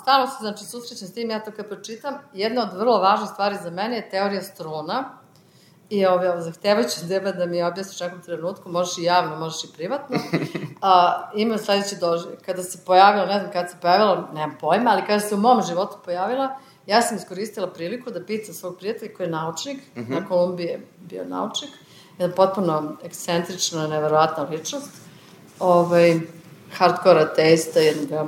Speaker 2: stalno se, znači, susrećem s tim, ja to kad pročitam, jedna od vrlo važnih stvari za mene je teorija struna i zahtevajući tebe da mi objasniš u nekom trenutku, možeš i javno, možeš i privatno. Imam sledeći doživljaj. Kada se pojavila, ne znam kada se pojavila, nemam pojma, ali kada se u mom životu pojavila, ja sam iskoristila priliku da pitam svog prijatelja koji je naučnik, na Kolumbiji je bio naučnik, jedna potpuno ekscentrična, neverovatna ličnost, hardcore ateista, jedna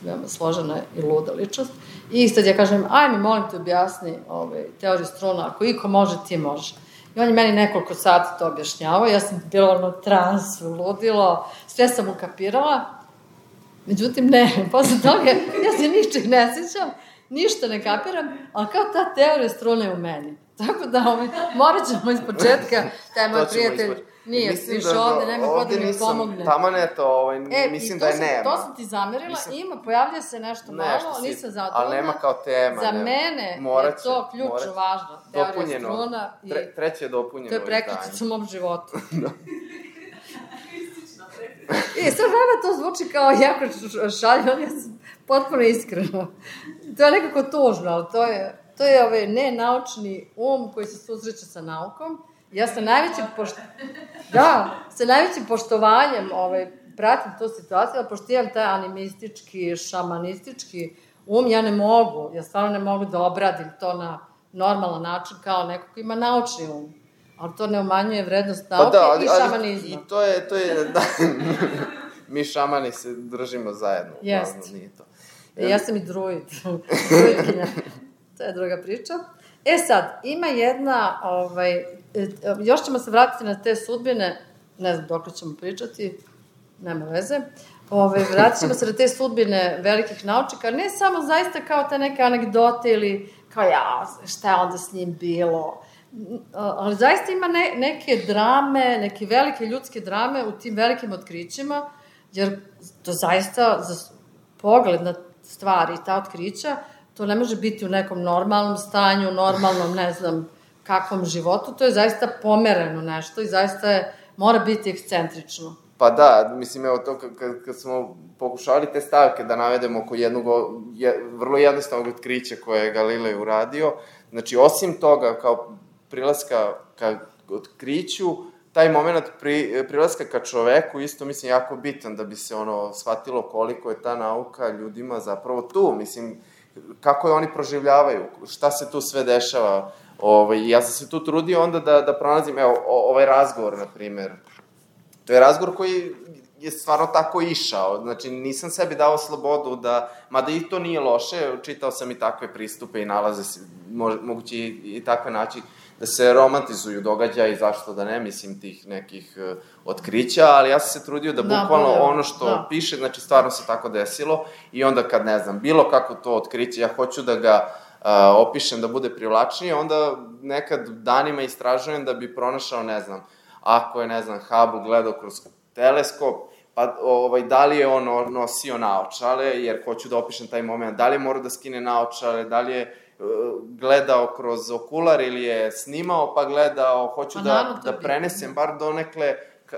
Speaker 2: veoma složena i luda ličnost. I sad ja kažem, aj mi molim te objasni teoriju struna, ako iko može, ti možeš. I on je meni nekoliko sati to objašnjavao, ja sam bila transu, ludilo, sve sam ukapirala, međutim ne, posle toga ja se ničeg ne sjećam, ništa ne kapiram, ali kao ta teorija struna je u meni. Tako da morat ćemo iz početka, taj moj prijatelj nije više ovde, nema ko da mi pomogne.
Speaker 1: Taman je to, mislim da je nema.
Speaker 2: To sam ti zamerila, pojavlja se nešto malo, nisam zadovoljna.
Speaker 1: Ali nema kao tema.
Speaker 2: Za mene je to ključno važno. Teorija struna.
Speaker 1: Treće je dopunjeno.
Speaker 2: To je prekričica u mom životu. Sad vama to zvuči kao jako šaljivo, ali ja sam potpuno iskreno. To je nekako tužno, ali to je nenaučni koji se susreće sa naukom. Ja sa najvećim poštovanjem pratim tu situaciju, ali pošto imam taj animistički, šamanistički ja ne mogu, ja stvarno ne mogu da obradim to na normalan način kao neko ko ima naučni ali to ne umanjuje vrednost nauke i šamanizma.
Speaker 1: I to je, mi šamani se držimo zajedno.
Speaker 2: Jeste. Ja sam i druid. To je druga priča. Sad, ima jedna, još ćemo se vratiti na te sudbine, ne znam dok ćemo pričati, nema veze, vratit ćemo se na te sudbine velikih naučnika, ne samo zaista kao te neke anegdote ili kao šta je onda s njim bilo, ali zaista ima neke drame, neke velike ljudske drame u tim velikim otkrićima, jer to zaista, za pogled na stvari i ta otkrića, to ne može biti u nekom normalnom stanju, normalnom, ne znam, kakvom životu, to je zaista pomereno nešto i zaista mora biti ekscentrično.
Speaker 1: Pa da, mislim, evo to, kad smo pokušali te stavke da navedemo oko jednog vrlo jednostavnog otkrića koje je Galilej uradio, znači, osim toga, kao prilaska ka otkriću, taj moment prilaska ka čoveku isto, mislim, jako bitan da bi se, shvatilo koliko je ta nauka ljudima zapravo tu, mislim, kako je oni proživljavaju, šta se tu sve dešava. Ja sam se tu trudio onda da pronalazim, evo, ovaj razgovor, na primer. To je razgovor koji je stvarno tako išao, znači nisam sebi dao slobodu da, mada i to nije loše, čitao sam i takve pristupe i nalaze se, moguće i takve način, da se romantizuju događaji, zašto da ne, mislim, tih nekih otkrića, ali ja sam se trudio da bukvalno ono što piše, znači stvarno se tako desilo i onda kad, ne znam, bilo kako to otkriće, ja hoću da ga opišem da bude privlačnije, onda nekad danima istražujem da bi pronašao, ne znam, ako je, ne znam, Hubble gledao kroz teleskop, pa da li je on nosio naočale, jer hoću da opišem taj moment, da li je morao da skine naočale, da li je gledao kroz okular ili je snimao pa gledao, hoću da prenesem bar donekle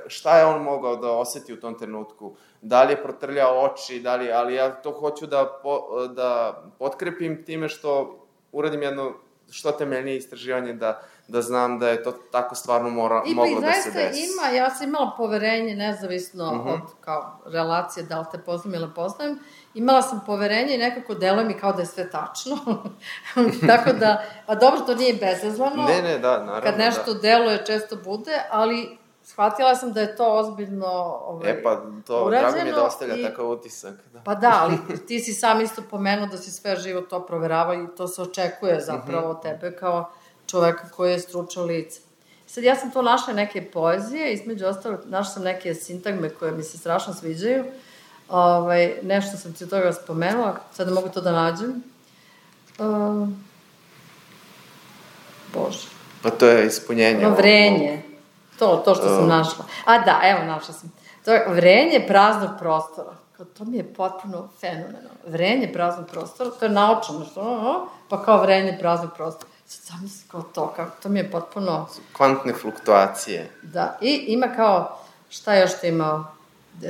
Speaker 1: šta je on mogao da oseti u tom trenutku, da li je protrljao oči, ali ja to hoću da potkrepim time što uradim jedno što temeljnije istraživanje da znam da je to tako stvarno moglo da se desi.
Speaker 2: I zaista ja sam imala poverenje, nezavisno od kao relacije, da li te poznam ili poznajem, imala sam poverenje i nekako deluje mi kao da je sve tačno. Tako da, pa dobro, to nije bezazlano.
Speaker 1: Ne, da, naravno.
Speaker 2: Kad nešto deluje, često bude, ali shvatila sam da je to ozbiljno
Speaker 1: pa to, drago mi je da ostavlja takav utisak. Da.
Speaker 2: Pa da, ali ti si sam isto pomenuo da si sve živo to proveravao i to se očekuje zapravo od tebe kao čoveka koji je stručno lice. Sad, ja sam to našla neke poezije, između ostalog, našla sam neke sintagme koje mi se strašno sviđaju. Nešto sam ti od toga spomenula, sad ne mogu to da nađem. Bože.
Speaker 1: Pa to je ispunjenje.
Speaker 2: Vrenje. To što sam našla. A da, evo, našla sam. To je vrenje praznog prostora. To mi je potpuno fenomenalno. Vrenje praznog prostora, to je naučno nešto, pa kao vrenje praznog prostora. Sad sam mislim kao to, to mi je potpuno...
Speaker 1: Kvantne fluktuacije.
Speaker 2: Da, i ima kao, šta još to ima,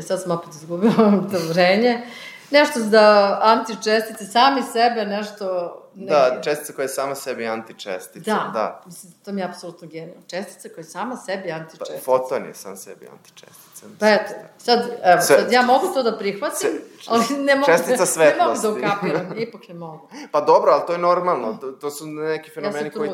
Speaker 2: sad sam opet izgubila to vrenje, nešto za antičestice, sami sebe, nešto...
Speaker 1: Da, čestica koja je sama sebi antičestica.
Speaker 2: Da, mislim, to mi je apsolutno genijalno. Čestica koja je sama sebi antičestica.
Speaker 1: Foton je sam sebi antičestica.
Speaker 2: Pa eto, sad ja mogu to da prihvatim, ali ne mogu da ukapiram, ipak ne mogu.
Speaker 1: Pa dobro, ali to je normalno, to su neki fenomeni koji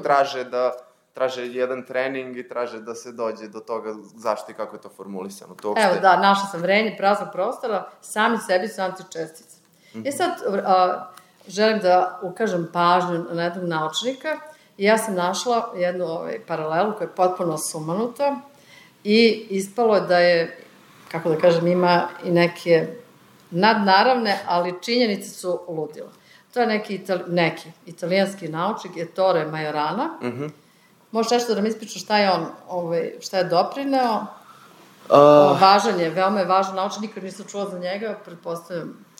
Speaker 1: traže jedan trening i traže da se dođe do toga zašto i kako je to formulisano.
Speaker 2: Evo da, našla sam vrenje praznog prostora, sami sebi su antičestice. Sad... želim da ukažem pažnju na jednog naučnika i ja sam našla jednu paralelu koja je potpuno sumanuta i ispalo je da je, kako da kažem, ima i neke nadnaravne, ali činjenice su ludilo. To je neki italijanski naučnik, Ettore Majorana. Možeš nešto da mi ispričaš šta je on, šta je doprineo? Važan je, veoma je važan naučnik, nikad nisam čula za njega, pretpostavljam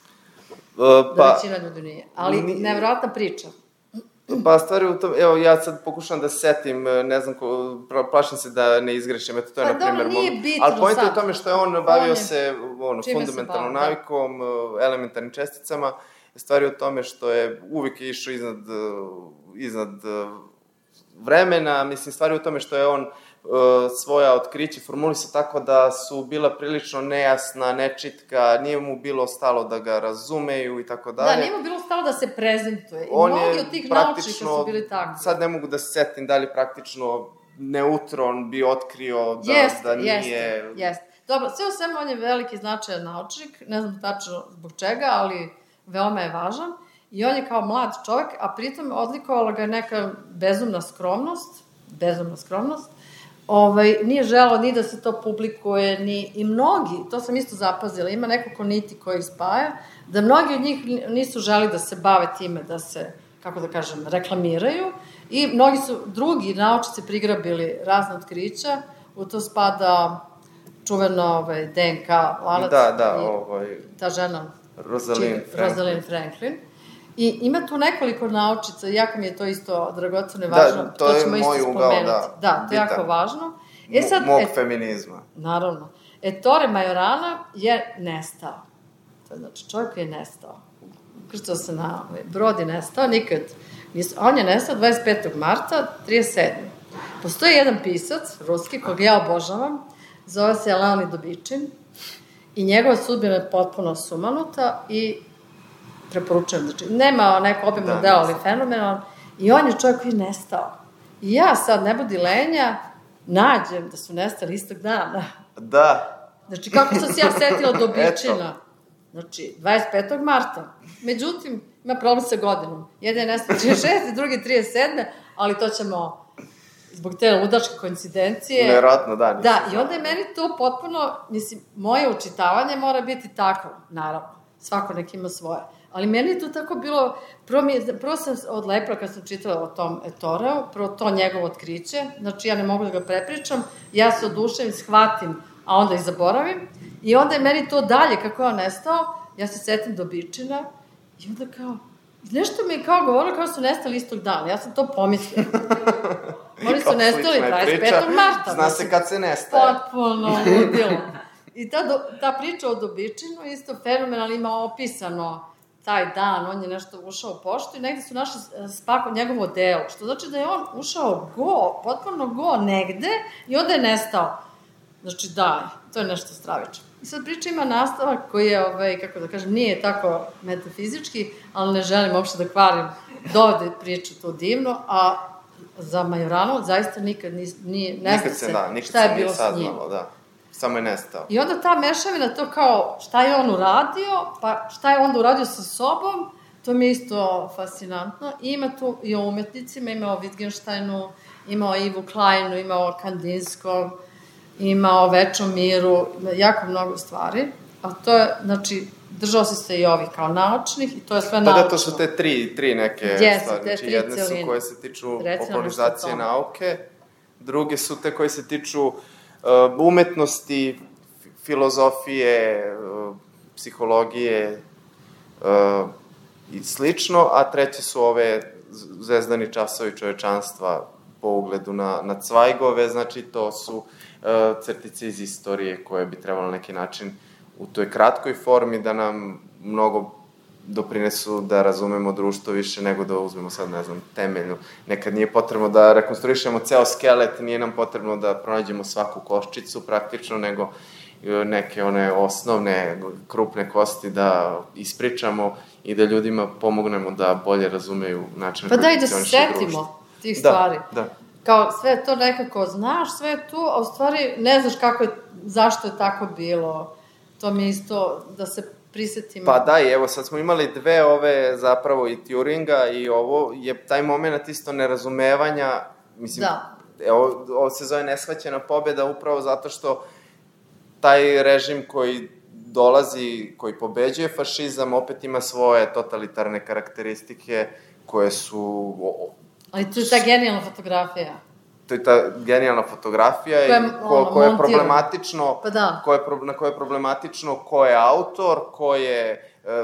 Speaker 2: da većina ljudi nije. Ali nevjerojatna priča.
Speaker 1: Pa stvari u tom, evo ja sad pokušam da se setim, ne znam, plašim se da ne izgrešim, eto to je na primjer...
Speaker 2: Pa nije bitno
Speaker 1: sad. Ali pojenta je u tome što je on bavio se fundamentalnom navikom, elementarnim česticama, stvari u tome što je uvijek išao iznad vremena, mislim, stvari u tome što je on svoja otkrića formulisao tako da su bila prilično nejasna, nečitka, nije mu bilo stalo da ga razumeju i tako dalje.
Speaker 2: Da, nije mu bilo stalo da se prezentuje. I mnogi od tih naučnika su bili takvi.
Speaker 1: Sad ne mogu da se setim da li praktično neutron bi otkrio da nije...
Speaker 2: Jeste. Dobro, sve u svemu on je veliki značajan naučnik, ne znam tačno zbog čega, ali veoma je važan. I on je kao mlad čovjek, a pritom odlikovala ga neka bezumna skromnost, nije želeo ni da se to publikuje, i mnogi, to sam isto zapazila, ima nekoliko niti koji ih spaja, da mnogi od njih nisu želi da se bave time, da se, kako da kažem, reklamiraju, I mnogi su drugi naučnici prigrabili razne otkrića, u to spada čuveno DNK lanac. Ta žena, Rosalind Franklin. I ima tu nekoliko naučica, jako mi je to isto dragoceno i važno.
Speaker 1: Da, to je moj ugao,
Speaker 2: Da, to je jako važno.
Speaker 1: Mog feminizma.
Speaker 2: Naravno. Ettore Majorana je nestao. To je znači čovjek koji je nestao. Ukrcao se na brod i nestao, nikad. On je nestao 25. marta 37. Postoji jedan pisac, ruski, kog ja obožavam, zove se Leonid Dobičin, i njegova sudbina je potpuno sumanuta i preporučujem, znači, nema neko obimno delo, ali fenomenalno, i on je čovjek koji je nestao. I ja sad, ne budi lenja, nađem da su nestali istog dana.
Speaker 1: Da.
Speaker 2: Znači, kako sam se ja setila Dobičina? Znači, 25. marta. Međutim, ima problem sa godinom. Jedan je nestao 36, drugi 37, ali to ćemo, zbog te ludačke koincidencije...
Speaker 1: Nevjerojatno, da.
Speaker 2: Da, i onda je meni to potpuno, mislim, moje učitavanje mora biti tako, naravno. Svako nek ima svoje. Ali meni je to tako bilo, prvo sam odlepila kad sam čitala o tom Ettoreu, prvo to njegovo otkriće, znači ja ne mogu da ga prepričam, ja se oduševim, shvatim, a onda i zaboravim, i onda je meni to dalje, kako je on nestao, ja se setim Dobičina, i onda kao, nešto mi je kao govorilo kao su nestali istog dana, ja sam to pomislila. Oni su nestali 25. marta.
Speaker 1: Zna se kad se nestaje.
Speaker 2: Potpuno ludilo. I ta priča o Dobičinu isto fenomenalno ima opisano taj dan, on je nešto ušao u poštu i negde su našli njegovo delo, što znači da je on ušao potpuno negde i onda je nestao. Znači to je nešto stravično. I sad priča ima nastavak koji je, kako da kažem, nije tako metafizički, ali ne želim uopšte da kvarim dovede priču to divno, a za Majoranu zaista nikad nije nestao se šta je bilo s njim.
Speaker 1: Samo je nestao.
Speaker 2: I onda ta mešavina, to kao šta je on uradio, pa šta je onda uradio sa sobom, to mi je isto fascinantno. I ima tu i o umetnicima, ima o Wittgensteinu, ima o Ivu Kleinu, ima o Kandinskom, ima o Večnom miru, jako mnogo stvari. A to je, znači, držao se i ovih kao naučnih i to je sve naučno.
Speaker 1: Da, to su te tri neke stvari. Znači, jedne su koje se tiču popularizacije nauke, druge su te koje se tiču umetnosti, filozofije, psihologije i slično, a treće su ove zvezdani časovi čovečanstva po ugledu na Cvajgove, znači to su crtice iz istorije koje bi trebalo na neki način u toj kratkoj formi da nam mnogo doprinesu da razumemo društvo više nego da uzmemo sad, ne znam, temeljnu. Nekad nije potrebno da rekonstruišemo ceo skelet, nije nam potrebno da pronađemo svaku koščicu praktično, nego neke one osnovne, krupne kosti da ispričamo i da ljudima pomognemo da bolje razumeju način na koji funkcioniše društvo.
Speaker 2: Pa da i da se setimo tih stvari.
Speaker 1: Da.
Speaker 2: Kao sve to nekako znaš, sve je tu, a u stvari ne znaš zašto je tako bilo. To mi je isto da se prisetimo.
Speaker 1: Pa da, i evo sad smo imali dve ove zapravo i Turinga i ovo je taj moment isto nerazumevanja, mislim, ovo se zove neshvaćena pobjeda upravo zato što taj režim koji dolazi, koji pobeđuje fašizam, opet ima svoje totalitarne karakteristike koje su...
Speaker 2: Ali to je ta genijalna fotografija.
Speaker 1: To je ta genijalna fotografija koja je problematično, na koje je problematično ko je autor,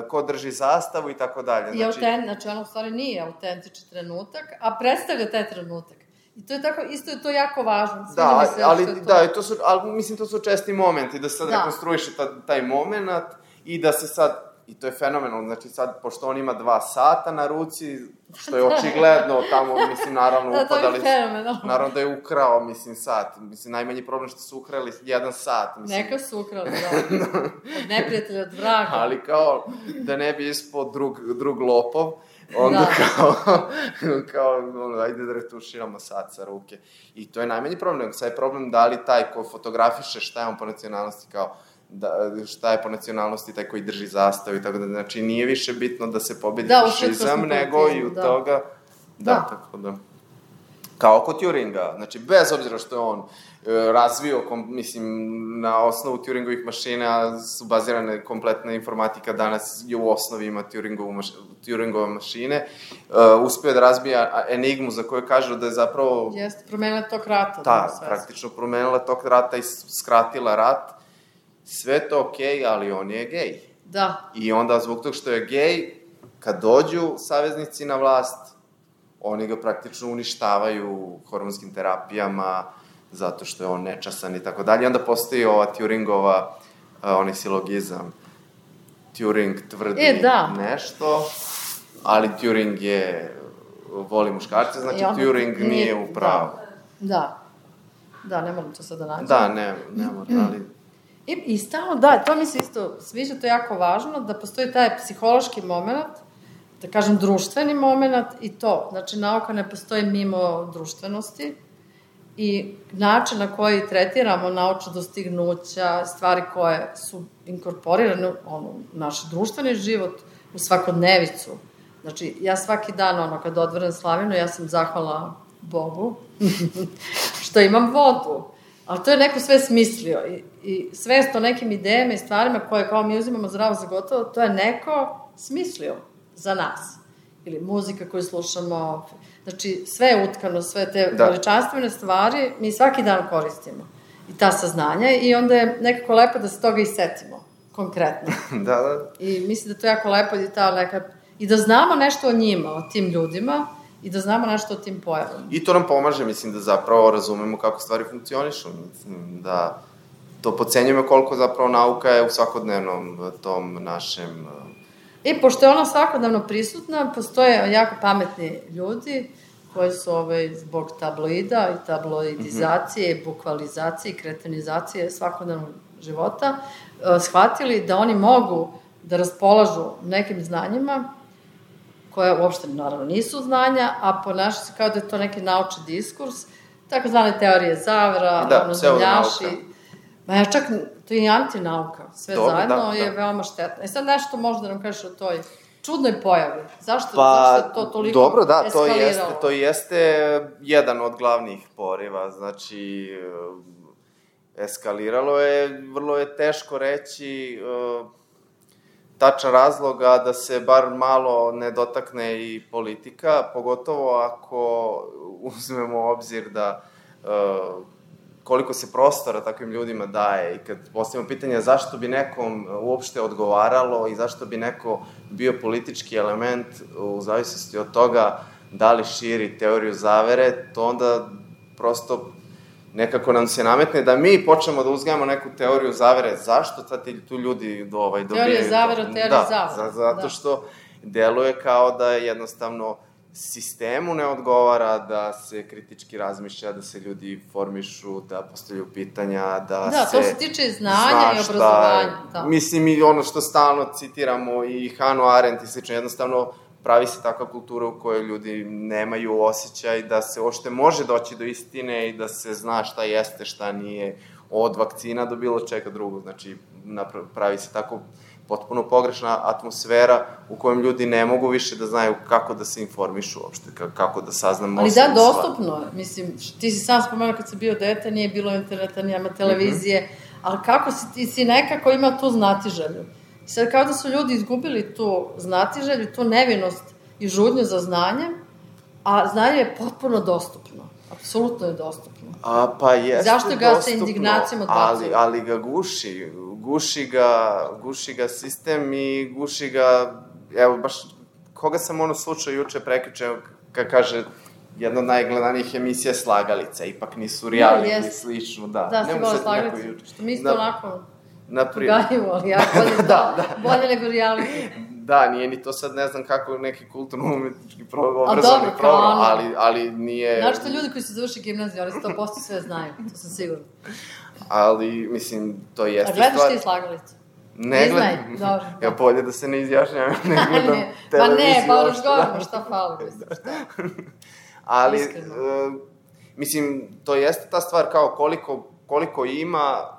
Speaker 1: ko drži zastavu i tako dalje.
Speaker 2: Znači, ono u stvari nije autentični trenutak, a predstavlja taj trenutak. I to je tako, isto je to jako važno.
Speaker 1: Ali mislim, to su česti momenti, da se sad rekonstruiše taj moment i da se sad, i to je fenomenalno, znači sad, pošto on ima 2 sata na ruci, što je očigledno tamo, mislim, naravno upadali, naravno da je ukrao, mislim, sat, mislim, najmanji problem što su ukrali 1 sat, mislim.
Speaker 2: Neka su ukrali, da, od neprijatelja, od vraga.
Speaker 1: Ali kao, da ne bi ispod drug lopov, onda kao, ajde da retuširamo sat sa ruke. I to je najmanji problem, sad je problem da li taj ko fotografiše šta je on po nacionalnosti, kao, šta je po nacionalnosti taj koji drži zastavu i tako da, znači nije više bitno da se pobedi fašizam, nego i u toga, tako da. Kao kod Turinga, znači bez obzira što je on razvio, mislim, na osnovu Turingovih mašina su bazirane kompletna informatika, danas je u osnovi ima Turingove mašine, uspio da razbija enigmu za koju kažu da je zapravo...
Speaker 2: Jeste, promenila tok rata.
Speaker 1: Da, praktično promenila tok rata i skratila rat. Sve to okej, ali on je gej.
Speaker 2: Da.
Speaker 1: I onda, zbog tog što je gej, kad dođu saveznici na vlast, oni ga praktično uništavaju hormonskim terapijama, zato što je on nečasan i tako dalje. I onda postoji ova Turingova, onaj silogizam. Turing tvrdi nešto, ali Turing voli muškarce, znači Turing nije u pravu.
Speaker 2: Da, ne moram to sad da nađem.
Speaker 1: Da, ne moram, ali...
Speaker 2: I stalno, da, to mi se isto sviđa, to je jako važno, da postoji taj psihološki moment, da kažem društveni moment i to, znači nauka ne postoji mimo društvenosti i način na koji tretiramo naučna dostignuća, stvari koje su inkorporirane u naš društveni život, u svakodnevicu. Znači, ja svaki dan, kad odvrnem slavinu, ja sam zahvala Bogu što imam vodu. Ali to je neko sve smislio i svest o nekim idejama i stvarima koje kao mi uzimamo zdravo za gotovo, to je neko smislio za nas. Ili muzika koju slušamo. Znači, sve je utkano, sve te veličanstvene stvari mi svaki dan koristimo. I ta saznanja i onda je nekako lepo da se toga i setimo, konkretno.
Speaker 1: Da.
Speaker 2: I mislim da to je jako lepo i da znamo nešto o njima, o tim ljudima, i da znamo nešto o tim pojavama.
Speaker 1: I to nam pomaže, mislim, da zapravo razumemo kako stvari funkcionišu. Mislim, da to podcenjujemo koliko zapravo nauka je u svakodnevnom tom našem...
Speaker 2: I pošto je ona svakodnevno prisutna, postoje jako pametni ljudi koji su zbog tabloida i tabloidizacije, bukvalizacije i kretenizacije svakodnevnog života shvatili da oni mogu da raspolažu nekim znanjima koje uopšte, naravno, nisu znanja, a ponaša se kao da je to neki naučni diskurs, takozvane teorije zavera, zemljaši. Ma ja čak, to je i antinauka, sve zajedno je veoma štetno. Sad nešto možda da nam kažeš o toj čudnoj pojavi. Zašto je to toliko
Speaker 1: dobro, da,
Speaker 2: eskaliralo?
Speaker 1: To jeste jedan od glavnih poriva, znači, eskaliralo je, vrlo je teško reći tačan razloga da se bar malo ne dotakne i politika, pogotovo ako uzmemo u obzir da koliko se prostora takvim ljudima daje i kad postavimo pitanje zašto bi nekom uopšte odgovaralo i zašto bi neko bio politički element u zavisnosti od toga da li širi teoriju zavere, to onda prosto nekako nam se nametne da mi počnemo da uzgajamo neku teoriju zavere. Zašto tu ljudi dobijaju to?
Speaker 2: Teorija zavere, teorija zavere.
Speaker 1: Da, zato što deluje kao da jednostavno sistemu ne odgovara da se kritički razmišlja, da se ljudi formišu, da postavljaju pitanja, da se...
Speaker 2: Da, to se tiče znanja i obrazovanja.
Speaker 1: Mislim, i ono što stalno citiramo i Hannah Arendt i slično, jednostavno pravi se takva kultura u kojoj ljudi nemaju osjećaj da se ošte može doći do istine i da se zna šta jeste, šta nije, od vakcina do bilo čega drugog. Znači, pravi se tako potpuno pogrešna atmosfera u kojem ljudi ne mogu više da znaju kako da se informišu uopšte, kako da saznamo...
Speaker 2: Ali da, dostupno je. Mislim, ti si sam spomenuo kad si bio dete, nije bilo interneta, nijema televizije, ali kako ti si nekako imao tu znatiželju. I sad kao da su ljudi izgubili tu znatiželju, tu nevinost i žudnju za znanjem, a znanje je potpuno dostupno. Apsolutno je dostupno.
Speaker 1: Pa jeste dostupno.
Speaker 2: Zašto ga se indignacijom odbacuje?
Speaker 1: Ali ga guši. Guši ga sistem i guši ga, evo baš, koga sam slučao juče prekjuče, kad kaže, jedna od najgledanijih emisija Slagalica, ipak nisu reality, slično, da.
Speaker 2: Da, si gola Slagalica, što mi isto onako pogajivo, ali ja bolje nego reality.
Speaker 1: Da, nije ni to sad, ne znam kako neki kulturno-umetnički obrazovni program, ali nije...
Speaker 2: Znaš što ljudi koji su završi gimnaziju, ali 100% sve znaju, to sam sigurno.
Speaker 1: Ali, mislim, to jeste
Speaker 2: stvar... A gledaš ti Slagalicu?
Speaker 1: Ne gledam.
Speaker 2: Dobro.
Speaker 1: Ja bolje da se ne izjašnjam, ne gledam televiziju.
Speaker 2: Pa razgovaramo, šta fali, mislim, šta?
Speaker 1: Ali, mislim, to jeste ta stvar kao koliko ima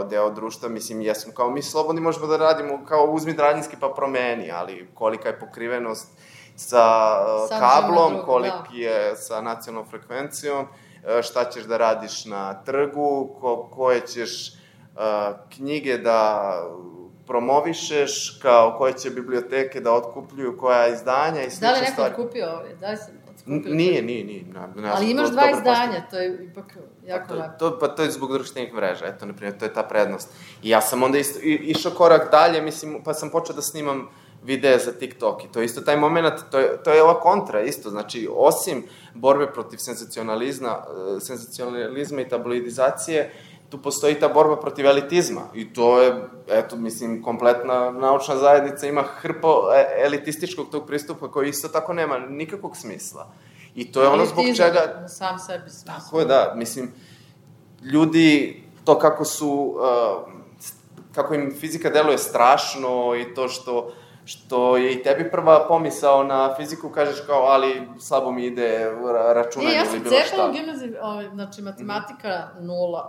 Speaker 1: deo društva, mislim, jesmo kao mi slobodni možemo da radimo kao uzmi Draljinski pa promeni, ali kolika je pokrivenost sa kablom, koliki je sa nacionalnom frekvencijom, šta ćeš da radiš na trgu, koje ćeš knjige da promovišeš, koje će biblioteke da otkupljuju, koja izdanja i slične stvari.
Speaker 2: Da li neko otkupio ove? Da li sam otkupio?
Speaker 1: Nije.
Speaker 2: Ali imaš 2 izdanja, to je ipak jako lepo.
Speaker 1: Pa to je zbog društvenih mreža, eto, na primjer, to je ta prednost. I ja sam onda išao korak dalje, mislim, pa sam počeo da snimam videe za TikTok i to je isto taj moment, to je ova kontra isto, znači, osim borbe protiv senzacionalizma i tabloidizacije, tu postoji ta borba protiv elitizma i to je, eto, mislim, kompletna naučna zajednica ima hrpu elitističkog tog pristupa koji isto tako nema nikakvog smisla. I to je ono zbog čega...
Speaker 2: Elitizam, sam sebi smisla.
Speaker 1: Tako je, da, mislim, ljudi, to kako im fizika deluje strašno i to što je i tebi prva pomisao na fiziku, kažeš kao, ali slabo mi ide računanje ili bilo šta.
Speaker 2: Ja sam cepala u gimnaziji, znači matematika 0,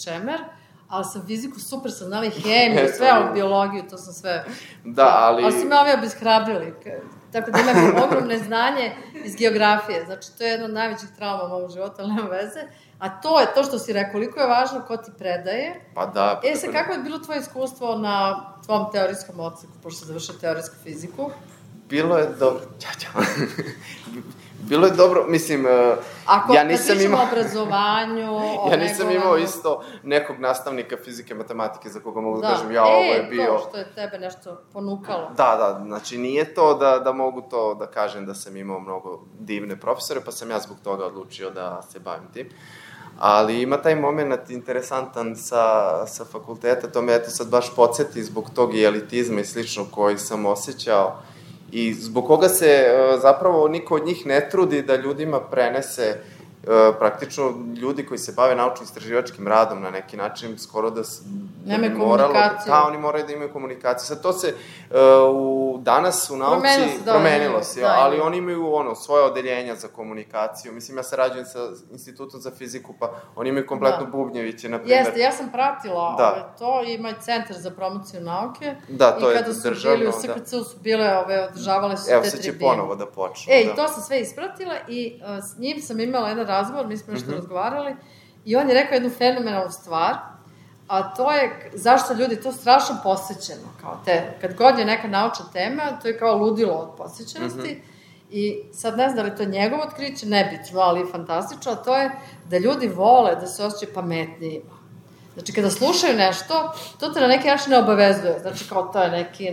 Speaker 2: čemer, ali sam fiziku super sam znala i hemiju, sve, biologiju, to sam sve...
Speaker 1: Da, ali...
Speaker 2: Ali su me ovi obeshrabrili, tako da imam ogromne znanje iz geografije, znači to je jedna od najvećih trauma u mojom životu, ali nema veze, a to je to što si rekao, koliko je važno ko ti predaje.
Speaker 1: Pa da.
Speaker 2: Sad, kako je bilo tvoje iskustvo na tvom teorijskom odseku, pošto si završio teorijsku fiziku?
Speaker 1: Bilo je dobro. Bilo je dobro, mislim, ja nisam imao...
Speaker 2: Kad pričamo o obrazovanju...
Speaker 1: Ja nisam imao isto nekog nastavnika fizike, matematike za koga mogu da kažem, ovo je bio...
Speaker 2: to što je tebe nešto ponukalo.
Speaker 1: Da, znači nije to da mogu to da kažem da sam imao mnogo divne profesore, pa sam ja zbog toga odlučio da se bavim tim. Ali ima taj moment interesantan sa fakulteta, to me eto sad baš podsjeti zbog tog i elitizma i slično koji sam osjećao i zbog koga se zapravo niko od njih ne trudi da ljudima prenese praktično ljudi koji se bave naučno-istraživačkim radom na neki način, skoro da...
Speaker 2: Nemaju komunikaciju.
Speaker 1: Da, oni moraju da imaju komunikaciju. Sad to se danas u nauci promenilo se, ali oni imaju svoje odeljenja za komunikaciju. Mislim, ja sarađujem sa Institutom za fiziku, pa oni imaju kompletno bubnjeviće, na primjer.
Speaker 2: Jeste, ja sam pratila to, ima i Centar za promociju nauke.
Speaker 1: Da, to je državno.
Speaker 2: I kada su bili u SKC-u su bile, održavale su te tribine.
Speaker 1: Evo, sad će ponovo da počnu.
Speaker 2: I to sam sve ispratila i s njim sam imala jedan razgovor, mi smo nešto razgovarali, i on je rekao jednu fenomenalnu stvar, a to je zašto ljudi to strašno posvećeno, kao kad god je neka naučna tema, to je kao ludilo od posvećenosti, i sad ne znam da li to je njegovo otkriće, nebitno, ali fantastično, a to je da ljudi vole da se osjećaju pametnijima. Znači, kada slušaju nešto, to te na neki način ne obavezuje, znači kao to je neki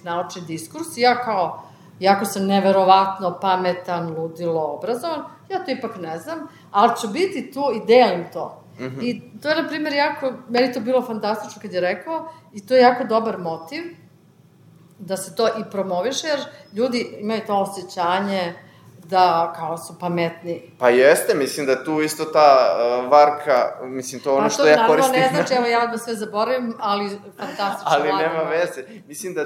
Speaker 2: naučni diskurs, i ja kao, jako sam neverovatno pametan, ludilo, obrazovan, ja to ipak ne znam, ali ću biti tu i delim to. I to je, na primjer, meni to bilo fantastično kad je rekao, i to je jako dobar motiv da se to i promoviše, jer ljudi imaju to osjećanje da kao su pametni.
Speaker 1: Pa jeste, mislim da tu isto ta varka, mislim to ono što ja koristim...
Speaker 2: Pa to naravno ne znači, evo ja da sve zaboravim, ali fantastično.
Speaker 1: Ali nema veze. Mislim da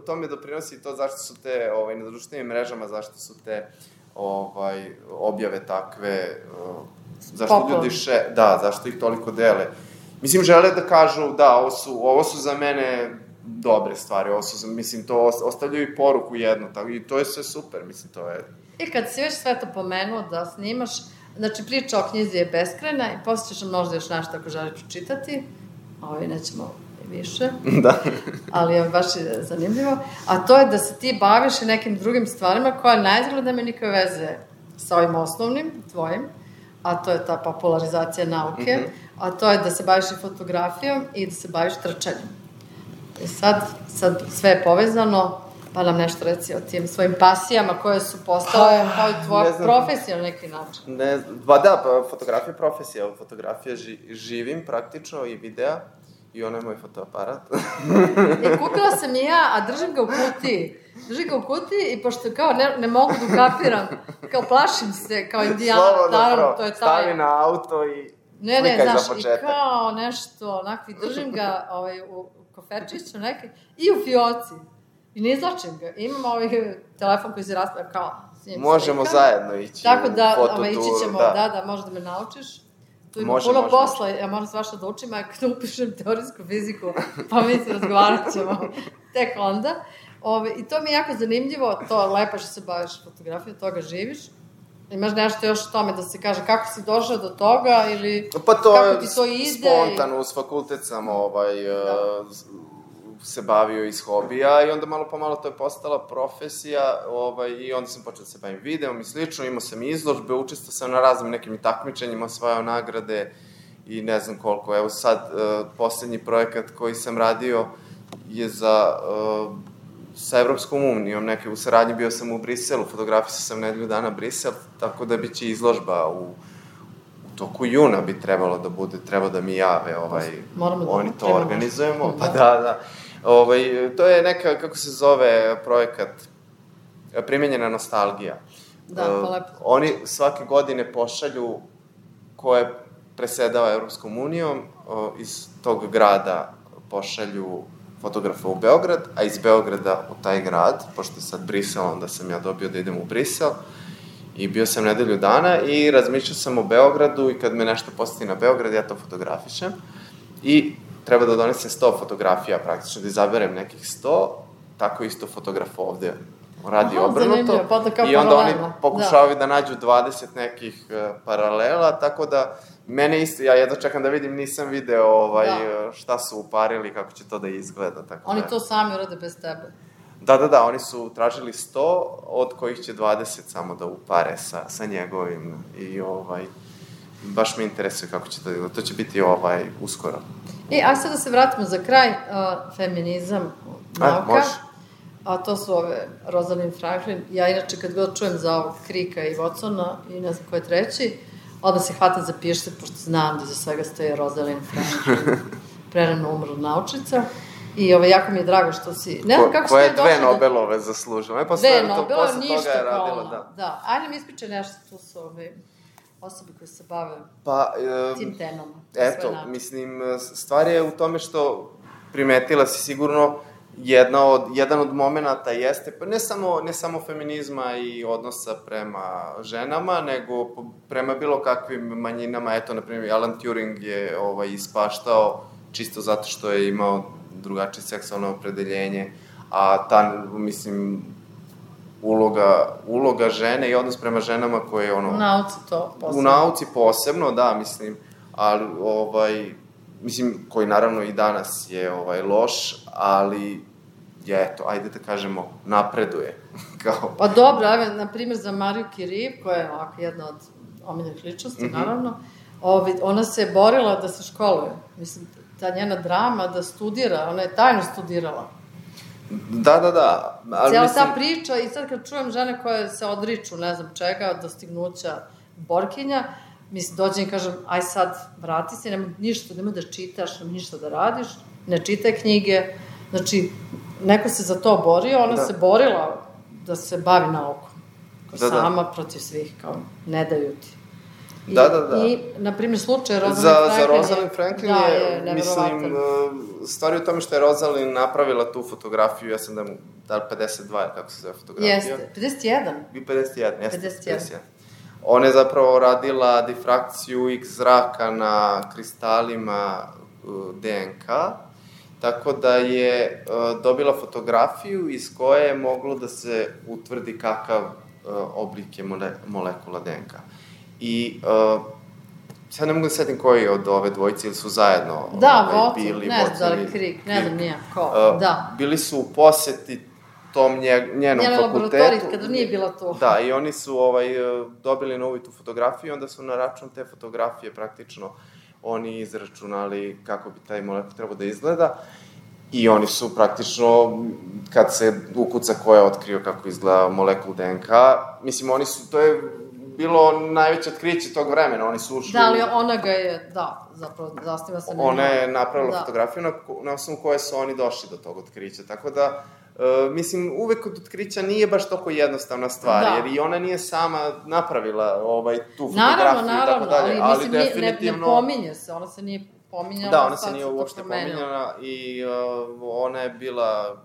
Speaker 1: to me doprinosi to zašto su te, na društvenim mrežama, zašto su te objave takve, zašto ljudi zašto ih toliko dele. Mislim, žele da kažu, da, ovo su za mene dobre stvari, mislim, to ostavljaju i poruku jednu, i to je sve super, mislim, to je...
Speaker 2: I kad si već sve to pomenuo da snimaš, znači priča o knjizi je beskrajna i posle ćeš možda još nešto ako želiš pročitati, nećemo više, ali baš je zanimljivo, a to je da se ti baviš i nekim drugim stvarima koja naizgled nema nikakve veze sa ovim osnovnim, tvojim, a to je ta popularizacija nauke, a to je da se baviš i fotografijom i da se baviš trčanjem. I sad sve je povezano, pa nam nešto reci o tim svojim pasijama koje su postale kao i tvoja profesija na neki način.
Speaker 1: Fotografija je profesija, fotografija živim praktično i videa i ono je moj fotoaparat.
Speaker 2: Kupila sam i ja, a držim ga u kutiji i pošto kao ne mogu da ukapiram, kao plašim se, kao Indijana, naravno, to je taj...
Speaker 1: Stavi na auto i slikaj za početak.
Speaker 2: I kao nešto, onako, držim ga u koferčiću neki i u fioci. I ne izlačim ga. Imam telefon koji se rastavlja kao s njim slika.
Speaker 1: Možemo zajedno ići u fototuru.
Speaker 2: Tako da, ići ćemo, da, može da me naučiš. tu ima puno posla, ja moram svašta da učim, a kada upišem teorijsku fiziku, pa mi se razgovarat ćemo tek onda. I to mi je jako zanimljivo, to je lepo što se baviš fotografijom, toga živiš. Imaš nešto još o tome da se kaže kako si došao do toga ili
Speaker 1: pa
Speaker 2: kako ti to ide?
Speaker 1: Spontano, uz fakultet sam se bavio iz hobija i onda malo po malo to je postala profesija i onda sam počeo da se bavim videom i slično, imao sam izložbe, učestvovao sam na raznim nekim takmičenjima, osvajao nagrade i ne znam koliko. Evo sad, poslednji projekat koji sam radio je sa Evropskom unijom, u saradnji bio sam u Briselu, fotografisao sam nedelju dana Brisel, tako da biće izložba u toku juna bi trebalo da bude, treba da mi jave, oni to organizujemo, pa da. To je neka, kako se zove projekat, primenjena nostalgija.
Speaker 2: Da, pa lepo.
Speaker 1: Oni svake godine pošalju ko je presedao Evropskom unijom, iz tog grada pošalju fotografa u Beograd, a iz Beograda u taj grad, pošto je sad Brisel, onda sam ja dobio da idem u Brisel, i bio sam nedelju dana i razmišljao sam o Beogradu i kad me nešto poseti na Beograd, ja to fotografišem i treba da donesem 100 fotografija praktično, da izaberem nekih 100, tako isto fotograf ovde radi obrnuto i onda oni pokušavaju da nađu 20 nekih paralela, tako da mene isto, ja jedno čekam da vidim, nisam video šta su uparili, kako će to da izgleda.
Speaker 2: Oni to sami urade bez tebe?
Speaker 1: Da, oni su tražili 100, od kojih će 20 samo da upare sa njegovim i baš me interesuje kako će to će biti uskoro.
Speaker 2: A sad da se vratimo za kraj, feminizam, nauka.
Speaker 1: Može.
Speaker 2: A to su Rosalind Franklin. Ja inače kad god čujem za ovog Krika i Watsona i ne znam ko je treći, odmah se hvatam za pišce, pošto znam da za svega stoje Rosalind Franklin, prerano umrla naučica. I jako mi je drago što si... Ne znam kako
Speaker 1: koje dve Nobelove zaslužila.
Speaker 2: Dve Nobelove, ništa kao ono. Da, ajde mi ispričaj nešto, tu su osobe koje se bave tim temama.
Speaker 1: Eto, mislim, stvar je u tome što primetila si sigurno jedan od momenata jeste, pa ne samo feminizma i odnosa prema ženama, nego prema bilo kakvim manjinama. Eto, na primjer, Alan Turing je ispaštao čisto zato što je imao drugačije seksualno opredeljenje, a ta, mislim, uloga žene i odnos prema ženama koje je
Speaker 2: U nauci to posebno.
Speaker 1: U nauci posebno, da, mislim, ali, mislim, koji naravno i danas je loš, ali eto, ajde da kažemo, napreduje.
Speaker 2: Pa dobro, na primjer za Mariju Curie, koja je ovako jedna od omiljenih ličnosti, naravno, ona se borila da se školuje. Mislim, ta njena drama da studira, ona je tajno studirala.
Speaker 1: Da.
Speaker 2: Cijela ta priča i sad kad čujem žene koje se odriču, ne znam čega, dostignuća borkinja, mislim, dođem i kažem, aj sad, vrati se, nemoj da čitaš, nemoj ništa da radiš, ne čitaj knjige. Znači, neko se za to borio, ona se borila da se bavi naukom. Sama protiv svih, kao, ne daju ti.
Speaker 1: Da.
Speaker 2: I, na primjer, slučaj Rosalind Franklin.
Speaker 1: Za Rosalind Franklin je, mislim, stvar je u tome što je Rosalind napravila tu fotografiju, ja sam da li 52, kako se zove fotografija?
Speaker 2: Jeste, 51.
Speaker 1: 51. Ona je zapravo radila difrakciju X zraka na kristalima DNK, tako da je dobila fotografiju iz koje je moglo da se utvrdi kakav oblik je molekula DNK. I sad ne mogu da setim koji od ove dvojice ili su zajedno bili.
Speaker 2: Ne znam da li Krik, ne znam nije ko, da.
Speaker 1: Bili su u poseti tom njenom fakultetu.
Speaker 2: Laboratoriji, kada nije bila tu.
Speaker 1: Da, i oni su dobili na uvid tu fotografiju i onda su na račun te fotografije praktično oni izračunali kako bi taj molekul trebao da izgleda. I oni su praktično, kad se ukuca ko je otkrio kako izgleda molekul DNK, mislim, oni su, to je bilo najveće otkriće tog vremena, oni su ušli...
Speaker 2: Da, ali ona ga je, zapravo, zasniva se...
Speaker 1: Ona je napravila fotografiju na osnovu koje su oni došli do tog otkrića, tako da, mislim, uvek od otkrića nije baš toliko jednostavna stvar, jer i ona nije sama napravila tu fotografiju i tako dalje, ali definitivno...
Speaker 2: Ne pominje se, ona se nije pominjala.
Speaker 1: Da, ona se nije uopšte pominjala i ona je bila,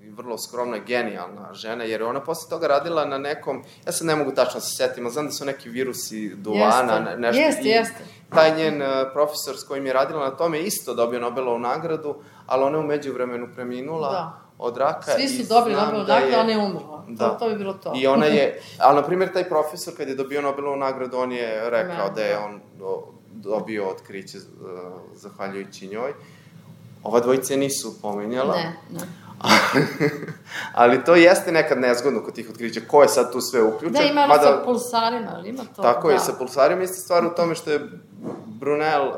Speaker 1: vrlo skromna, genijalna žena, jer je ona posle toga radila na nekom, ja sad ne mogu tačno se setim, ali znam da su neki virusi duvana, nešto.
Speaker 2: Jeste.
Speaker 1: Taj njen profesor s kojim je radila na tome isto dobio Nobelovu nagradu, ali ona je u međuvremenu preminula od raka.
Speaker 2: Svi su dobili Nobelovu nagradu, ona je umrla. To bi bilo to.
Speaker 1: I ona je, ali na primjer taj profesor kad je dobio Nobelovu nagradu, on je rekao da je on dobio otkriće zahvaljujući njoj. Ova dvojice nisu pomenjala.
Speaker 2: Ne.
Speaker 1: Ali to jeste nekad nezgodno kod tih otkrića. Ko je sad tu sve uključen?
Speaker 2: Da, ima ono sa pulsarima, ali ima to.
Speaker 1: Tako je, sa pulsarima isto stvar u tome što je Brunel,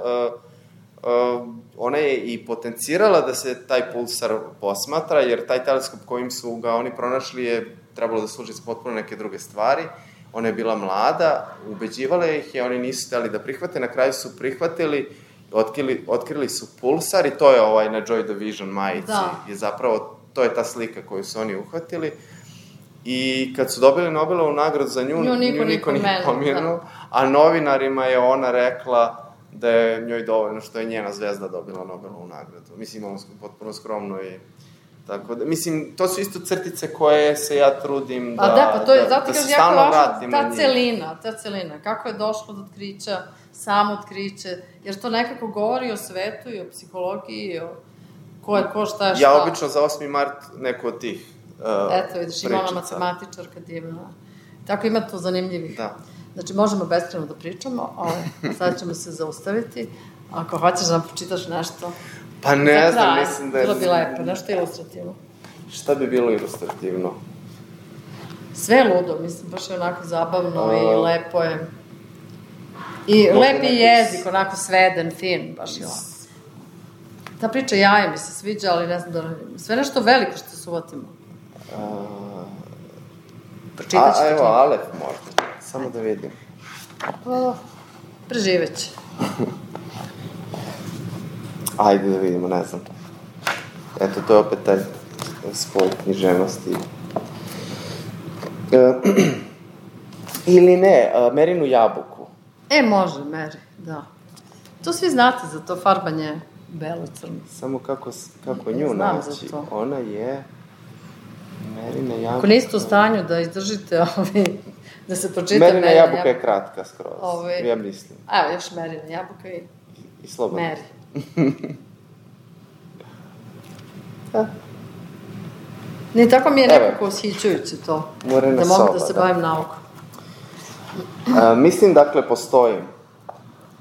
Speaker 1: ona je i potencirala da se taj pulsar posmatra, jer taj teleskop kojim su ga oni pronašli je trebalo da služi za potpuno neke druge stvari. Ona je bila mlada, ubeđivala ih je, oni nisu hteli da prihvate, na kraju su prihvatili, otkrili su pulsar i to je na Joy Division majici. Je zapravo, to je ta slika koju su oni uhvatili. I kad su dobili Nobelovu nagradu za nju niko nije pomenuo, a novinarima je ona rekla da je njoj dovoljno što je njena zvezda dobila Nobelovu nagradu. Mislim, ono potpuno skromno i tako da, mislim, to su isto crtice koje se ja trudim da se stalno vratim na njih.
Speaker 2: Ta celina, kako je došlo do otkrića, samo otkriće, jer to nekako govori o svetu i o psihologiji, o ko je ko, šta je šta.
Speaker 1: Ja obično za 8. mart neko od tih
Speaker 2: Eto, vidiš, ima ona matematičarka divna. Tako ima tu zanimljivih.
Speaker 1: Da.
Speaker 2: Znači, možemo beskrajno da pričamo, sad ćemo se zaustaviti. Ako hoćeš da nam počitaš nešto...
Speaker 1: Pa ne znam, mislim da je...
Speaker 2: Bilo bi lepo, nešto ilustrativno.
Speaker 1: Šta bi bilo ilustrativno?
Speaker 2: Sve ludo, mislim, baš je onako zabavno i lepo je. I lep je jezik, onako sveden, fin, baš je ovako. Ta priča jaje mi se sviđa, ali ne znam da... Sve nešto veliko što se uvatimo. Pročitat ću.
Speaker 1: Evo, Alef možda, samo da vidim.
Speaker 2: Preživeće.
Speaker 1: Ajde da vidimo, ne znam. Eto, to je opet taj spoj književnosti. Ili ne, Merinu jabuku.
Speaker 2: Može, Meri, da. To svi znate za to farbanje belo-crno.
Speaker 1: Samo kako nju naći. Ona je Merina jabuka.
Speaker 2: Ako niste u stanju da izdržite da se pročita
Speaker 1: Merina jabuka je kratka skroz, ja mislim.
Speaker 2: Evo, još Merina jabuka
Speaker 1: i slobodno.
Speaker 2: Meri. Ne, tako mi je nekako ushićujuće to. Da mogu da se bavim naukom.
Speaker 1: Mislim, dakle, postojim.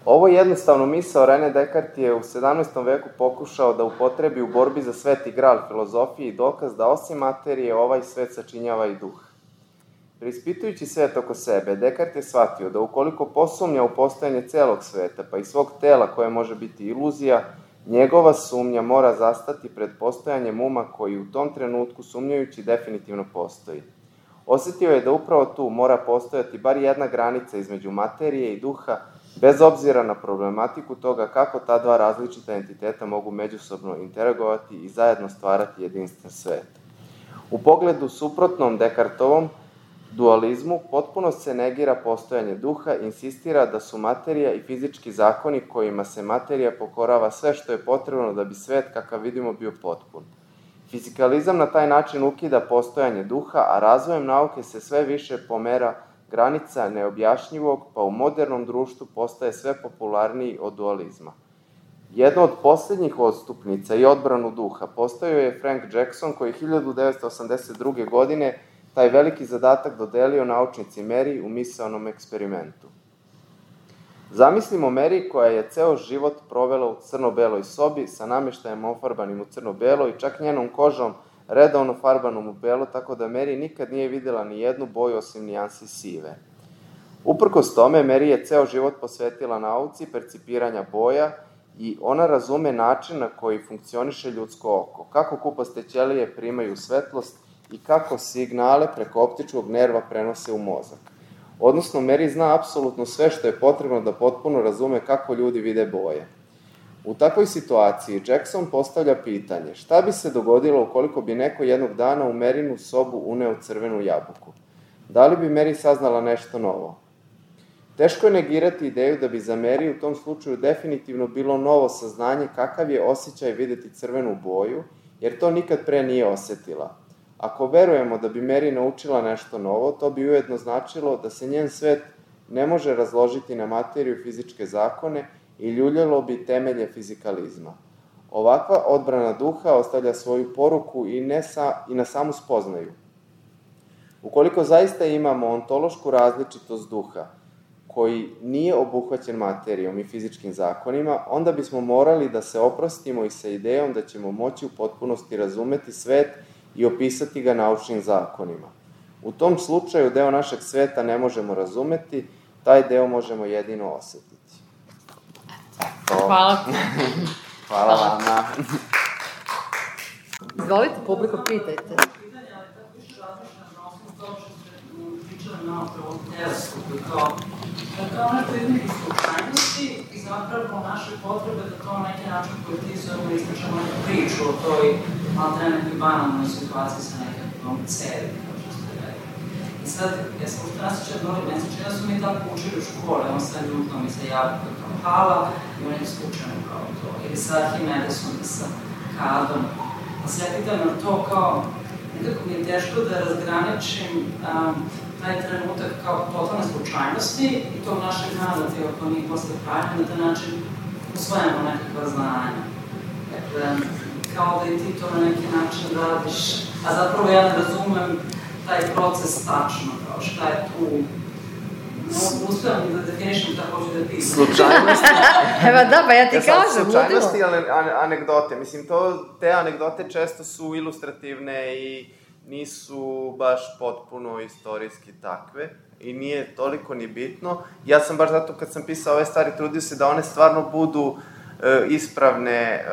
Speaker 1: Ovo jednostavno misao René Descartes je u 17. veku pokušao da upotrebi u borbi za sveti gral filozofije i dokaz da osim materije ovaj svet sačinjava i duh. Preispitujući svet oko sebe, Descartes je shvatio da ukoliko posumnja u postojanje celog sveta, pa i svog tela koje može biti iluzija, njegova sumnja mora zastati pred postojanjem uma koji u tom trenutku sumnjajući definitivno postoji. Osetio je da upravo tu mora postojati bar jedna granica između materije i duha, bez obzira na problematiku toga kako ta dva različita entiteta mogu međusobno interagovati i zajedno stvarati jedinstven svet. U pogledu suprotnom Descartovom dualizmu potpuno se negira postojanje duha i insistira da su materija i fizički zakoni kojima se materija pokorava sve što je potrebno da bi svet kakav vidimo bio potpun. Fizikalizam na taj način ukida postojanje duha, a razvojem nauke se sve više pomera granica neobjašnjivog, pa u modernom društvu postaje sve popularniji od dualizma. Jedna od posljednjih odstupnica i odbranu duha postavio je Frank Jackson, koji 1982. godine taj veliki zadatak dodelio naučnici Meri u misaonom eksperimentu. Zamislimo Meri koja je ceo život provela u crno-beloj sobi sa nameštajem ofarbanim u crno-belo i čak njenom kožom redovno farbanom u belo, tako da Meri nikad nije videla ni jednu boju osim nijansi sive. Uprkos tome, Meri je ceo život posvetila nauci percipiranja boja i ona razume način na koji funkcioniše ljudsko oko, kako kupaste ćelije primaju svetlost i kako signale preko optičkog nerva prenose u mozak. Odnosno, Meri zna apsolutno sve što je potrebno da potpuno razume kako ljudi vide boje. U takvoj situaciji Jackson postavlja pitanje šta bi se dogodilo ukoliko bi neko jednog dana u Merinu sobu uneo crvenu jabuku. Da li bi Meri saznala nešto novo? Teško je negirati ideju da bi za Meri u tom slučaju definitivno bilo novo saznanje kakav je osjećaj videti crvenu boju jer to nikad pre nije osetila. Ako verujemo da bi Mary naučila nešto novo, to bi ujedno značilo da se njen svet ne može razložiti na materiju fizičke zakone i ljuljalo bi temelje fizikalizma. Ovakva odbrana duha ostavlja svoju poruku i na samu spoznaju. Ukoliko zaista imamo ontološku različitost duha, koji nije obuhvaćen materijom i fizičkim zakonima, onda bismo morali da se oprostimo i sa idejom da ćemo moći u potpunosti razumeti svet i opisati ga naučnim zakonima. U tom slučaju deo našeg sveta ne možemo razumeti, taj deo možemo jedino osetiti.
Speaker 2: Hvala.
Speaker 1: Hvala vama.
Speaker 2: Izvolite, publiko, pitajte.
Speaker 3: Pitanje, ali tako više razmišljam na osnovu toga što ste pričali malo pre ovom teleskopu i kao nešto između slučajnosti i zapravo naše potrebe da to na neki način politizujemo i ispričamo neku priču o toj maltene nekoj banalnoj situaciji sa nekakvom cevi, kao što ste rekli. I sad, ja sam ušto nasjećala doli meseče, da su mi tako učili u škole, on sa ljutnom i sa jabukom kao Hala i on je slučajno kao to. Ili sa Arhimedesom i sa Kadom. Pa se ja pitam na to kao, nekako mi je teško da razgraničim taj trenutak kao totalne slučajnosti i tog našeg narativa koji mi posle pravimo na taj način usvojamo nekakva znanja. Dakle, kao da i ti to na neki način radiš, a zapravo ja ne razumem taj proces tačno, kao šta je tu. Uspijem da definišem šta hoću da pitam.
Speaker 1: Slučajnosti.
Speaker 2: Evo da, pa ja ti kažem,
Speaker 1: Slučajnosti, ali anegdote. Mislim, te anegdote često su ilustrativne i nisu baš potpuno istorijski takve i nije toliko ni bitno. Ja sam baš zato kad sam pisao ove stvari trudio se da one stvarno budu ispravne,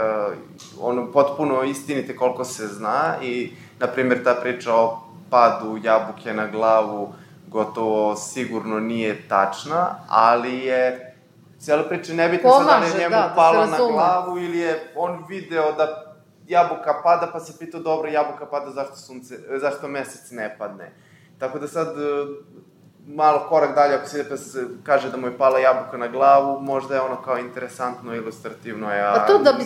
Speaker 1: potpuno istinite koliko se zna i, na primjer, ta priča o padu jabuke na glavu gotovo sigurno nije tačna, ali je cijela priča nebitna sad da je njemu pala na glavu ili je on video da jabuka pada pa se pitao dobro jabuka pada zašto mesec ne padne. Tako da sad malo korak dalje ako se kaže da mu je pala jabuka na glavu, možda je ono kao interesantno, ilustrativno,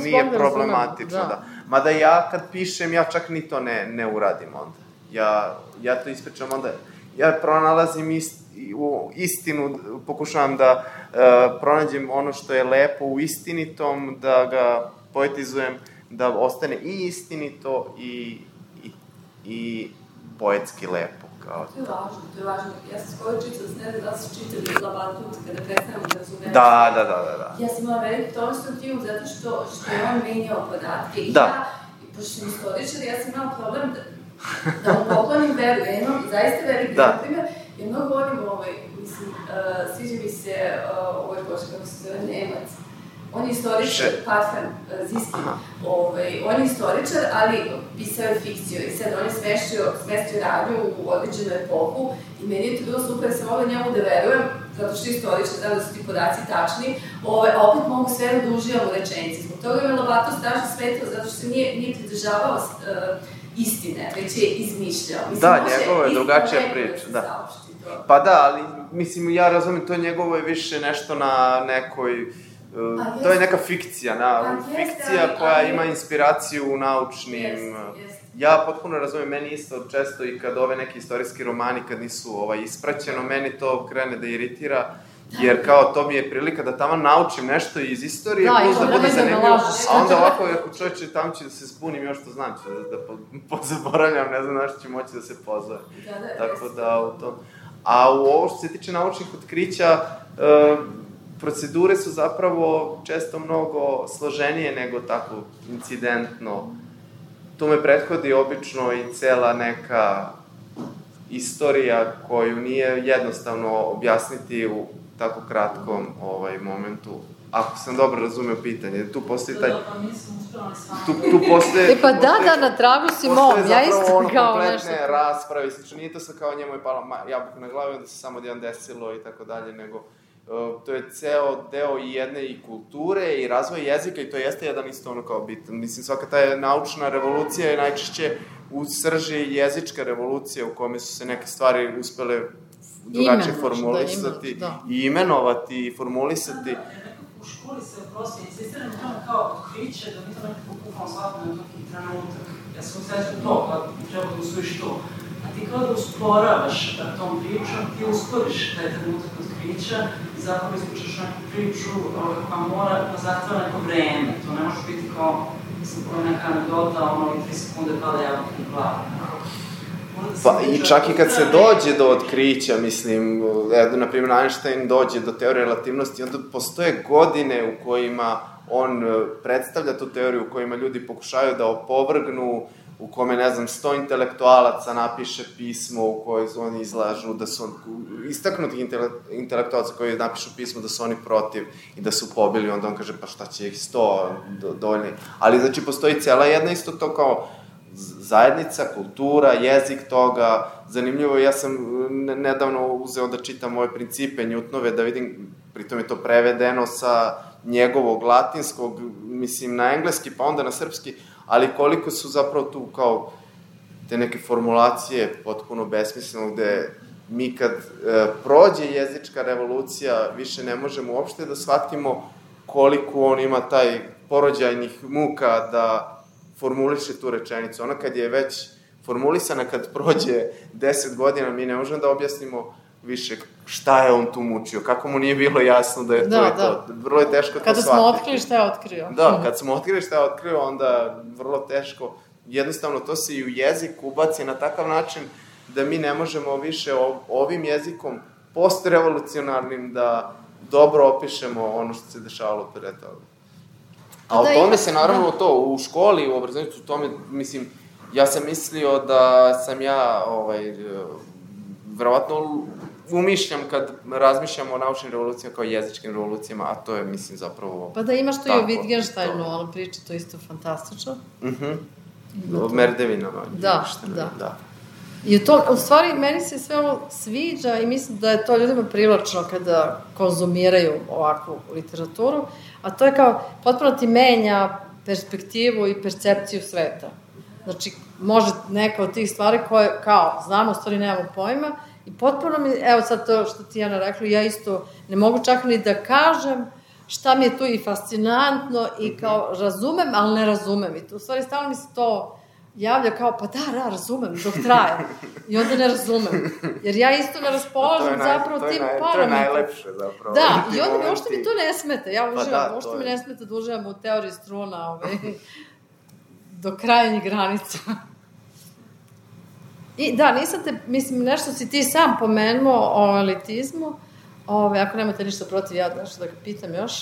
Speaker 1: nije problematično. Da. Mada ja kad pišem, ja čak ni to ne uradim onda. Ja to ispričam onda. Ja pronalazim istinu, pokušavam da pronađem ono što je lepo u istinitom, da ga poetizujem, da ostane i istinito i poetski lepo.
Speaker 4: To je važno. Ja sam skoro čitala, ne znam da si čitali Labatut kada prestanemo da razumemo.
Speaker 1: Da.
Speaker 4: Ja sam imala veliki tonostruktivno zato što je on menjao podatke i pošto sam istoričar, ja sam imala problem da mu poklonim veru. Ja imam zaista veliki primjer, ja mnogo volim sviđa mi se kako se zove Nemac. On je istoričar, Parfan Ziski, on je istoričar, ali pisao je fikciju i sad on je smestio radnju u određenu epohu i meni je to bilo super, sam mogla njemu da verujem, zato što je istoričar, znam da su ti podaci tačni, a opet mogu sve da uživam u rečenici. Zbog toga je Lobato strašno smetao, zato što se nije pridržavao istine, već je izmišljao.
Speaker 1: Da, njegovo je drugačija priča, da. Pa da, ali mislim, ja razumim, to njegovo je više nešto na nekoj... To je neka fikcija, koja ima inspiraciju u naučnim... Ja potpuno razumim, meni isto često i kad ove neki istorijski romani, kad nisu ispraćeno, meni to krene da iritira, jer kao to mi je prilika da tamo naučim nešto iz istorije, plus da bude zanimljivo, a onda ovako, ako čovječe, tamo ću da se spunim još što znam, ću da pozaboravljam, ne znam na što ću moći da se pozove. Tako da, u tom... A u ovo što se tiče naučnih otkrića, procedure su zapravo često mnogo složenije nego tako incidentno. Tu me prethodi obično i cela neka istorija koju nije jednostavno objasniti u tako kratkom momentu. Ako sam dobro razumeo pitanje, tu postoji taj... Tu postoje...
Speaker 2: Pa da, na tragu si mom, ja isto kao nešto...
Speaker 1: Kompletne rasprave, slično, nije to sad kao njemu je pala jabuka na glavi, onda se samo jedan desilo i tako dalje, nego... To je ceo deo i jedne i kulture i razvoja jezika i to jeste jedan isto ono kao bitan. Mislim, svaka ta naučna revolucija je najčešće u srži jezička revolucija u kome su se neke stvari uspele drugačije formulisati i imenovati i formulisati.
Speaker 3: U školi se prosto insistiramo tome kao otkriće, da mi to nekako bukvalno shvatimo neki trenutak. ja sam osjećam to, kao treba da usvojiš to. A ti kao da usporavaš tom pričom, ti usporiš taj trenutak otkrića i zapravo ispričaš neku priču koja mora da zahteva neko vreme. To ne može biti kao, mislim, neka anegdota, ono, 3 sekunde pada jabuka u glavu.
Speaker 1: Pa i čak i kad se dođe do otkrića, mislim, na primjer Einstein dođe do teorije relativnosti, onda postoje godine u kojima on predstavlja tu teoriju, u kojima ljudi pokušaju da opovrgnu, u kome, ne znam, 100 intelektualaca napiše pismo u kojoj oni izlažu da su istaknutih intelektualaca koji napišu pismo da su oni protiv i da su pobili, onda on kaže pa šta će ih 100 dovoljni. Ali znači postoji cijela jedna isto to kao zajednica, kultura, jezik toga. Zanimljivo, ja sam nedavno uzeo da čitam ove principe Newtonove, da vidim, pritom je to prevedeno sa njegovog latinskog, mislim na engleski pa onda na srpski, ali koliko su zapravo tu kao te neke formulacije potpuno besmisleno, gde mi kad prođe jezička revolucija više ne možemo uopšte da shvatimo koliko on ima taj porođajnih muka da formuliše tu rečenicu. Ona kad je već formulisana, kad prođe 10 godina, mi ne možemo da objasnimo više šta je on tu mučio, kako mu nije bilo jasno da je to i to. Vrlo je teško to shvatiti.
Speaker 2: Kada smo otkrili šta je otkrio.
Speaker 1: Da, kad smo otkrili šta je otkrio, onda vrlo teško. Jednostavno, to se i u jezik ubaci na takav način da mi ne možemo više ovim jezikom postrevolucionarnim da dobro opišemo ono što se dešavalo pre toga. A o tome se naravno to, u školi, u obrazovanju, u tome, mislim, ja sam mislio da sam ja, verovatno umišljam kad razmišljam o naučnim revolucijama kao jezičkim revolucijama, a to je, mislim, zapravo...
Speaker 2: Pa da imaš to i o Wittgensteinu, ona priča, to isto fantastično.
Speaker 1: O merdevinama.
Speaker 2: Da. I u stvari, meni se sve ovo sviđa i mislim da je to ljudima privlačno kada konzumiraju ovakvu literaturu, a to je kao, potpuno ti menja perspektivu i percepciju sveta. Znači, može neka od tih stvari koje, kao, znamo, u stvari nemamo pojma, i potpuno mi, evo sad to što ti Jana rekla, ja isto ne mogu čak ni da kažem šta mi je tu i fascinantno i kao razumem, ali ne razumem. I to, u stvari, stalno mi se to javlja kao, pa da, razumem, dok traje. I onda ne razumem. Jer ja isto ne raspolažem zapravo tim parametrima.
Speaker 1: To je najlepše zapravo.
Speaker 2: Da, i onda mi uopšte mi to ne smeta. Ja uživam, uopšte mi ne smeta da uživam u teoriji struna, do krajnjih granica. I da, nisam te, mislim, nešto si ti sam pomenuo o elitizmu, ako nemate ništa protiv, ja nešto da ga pitam još,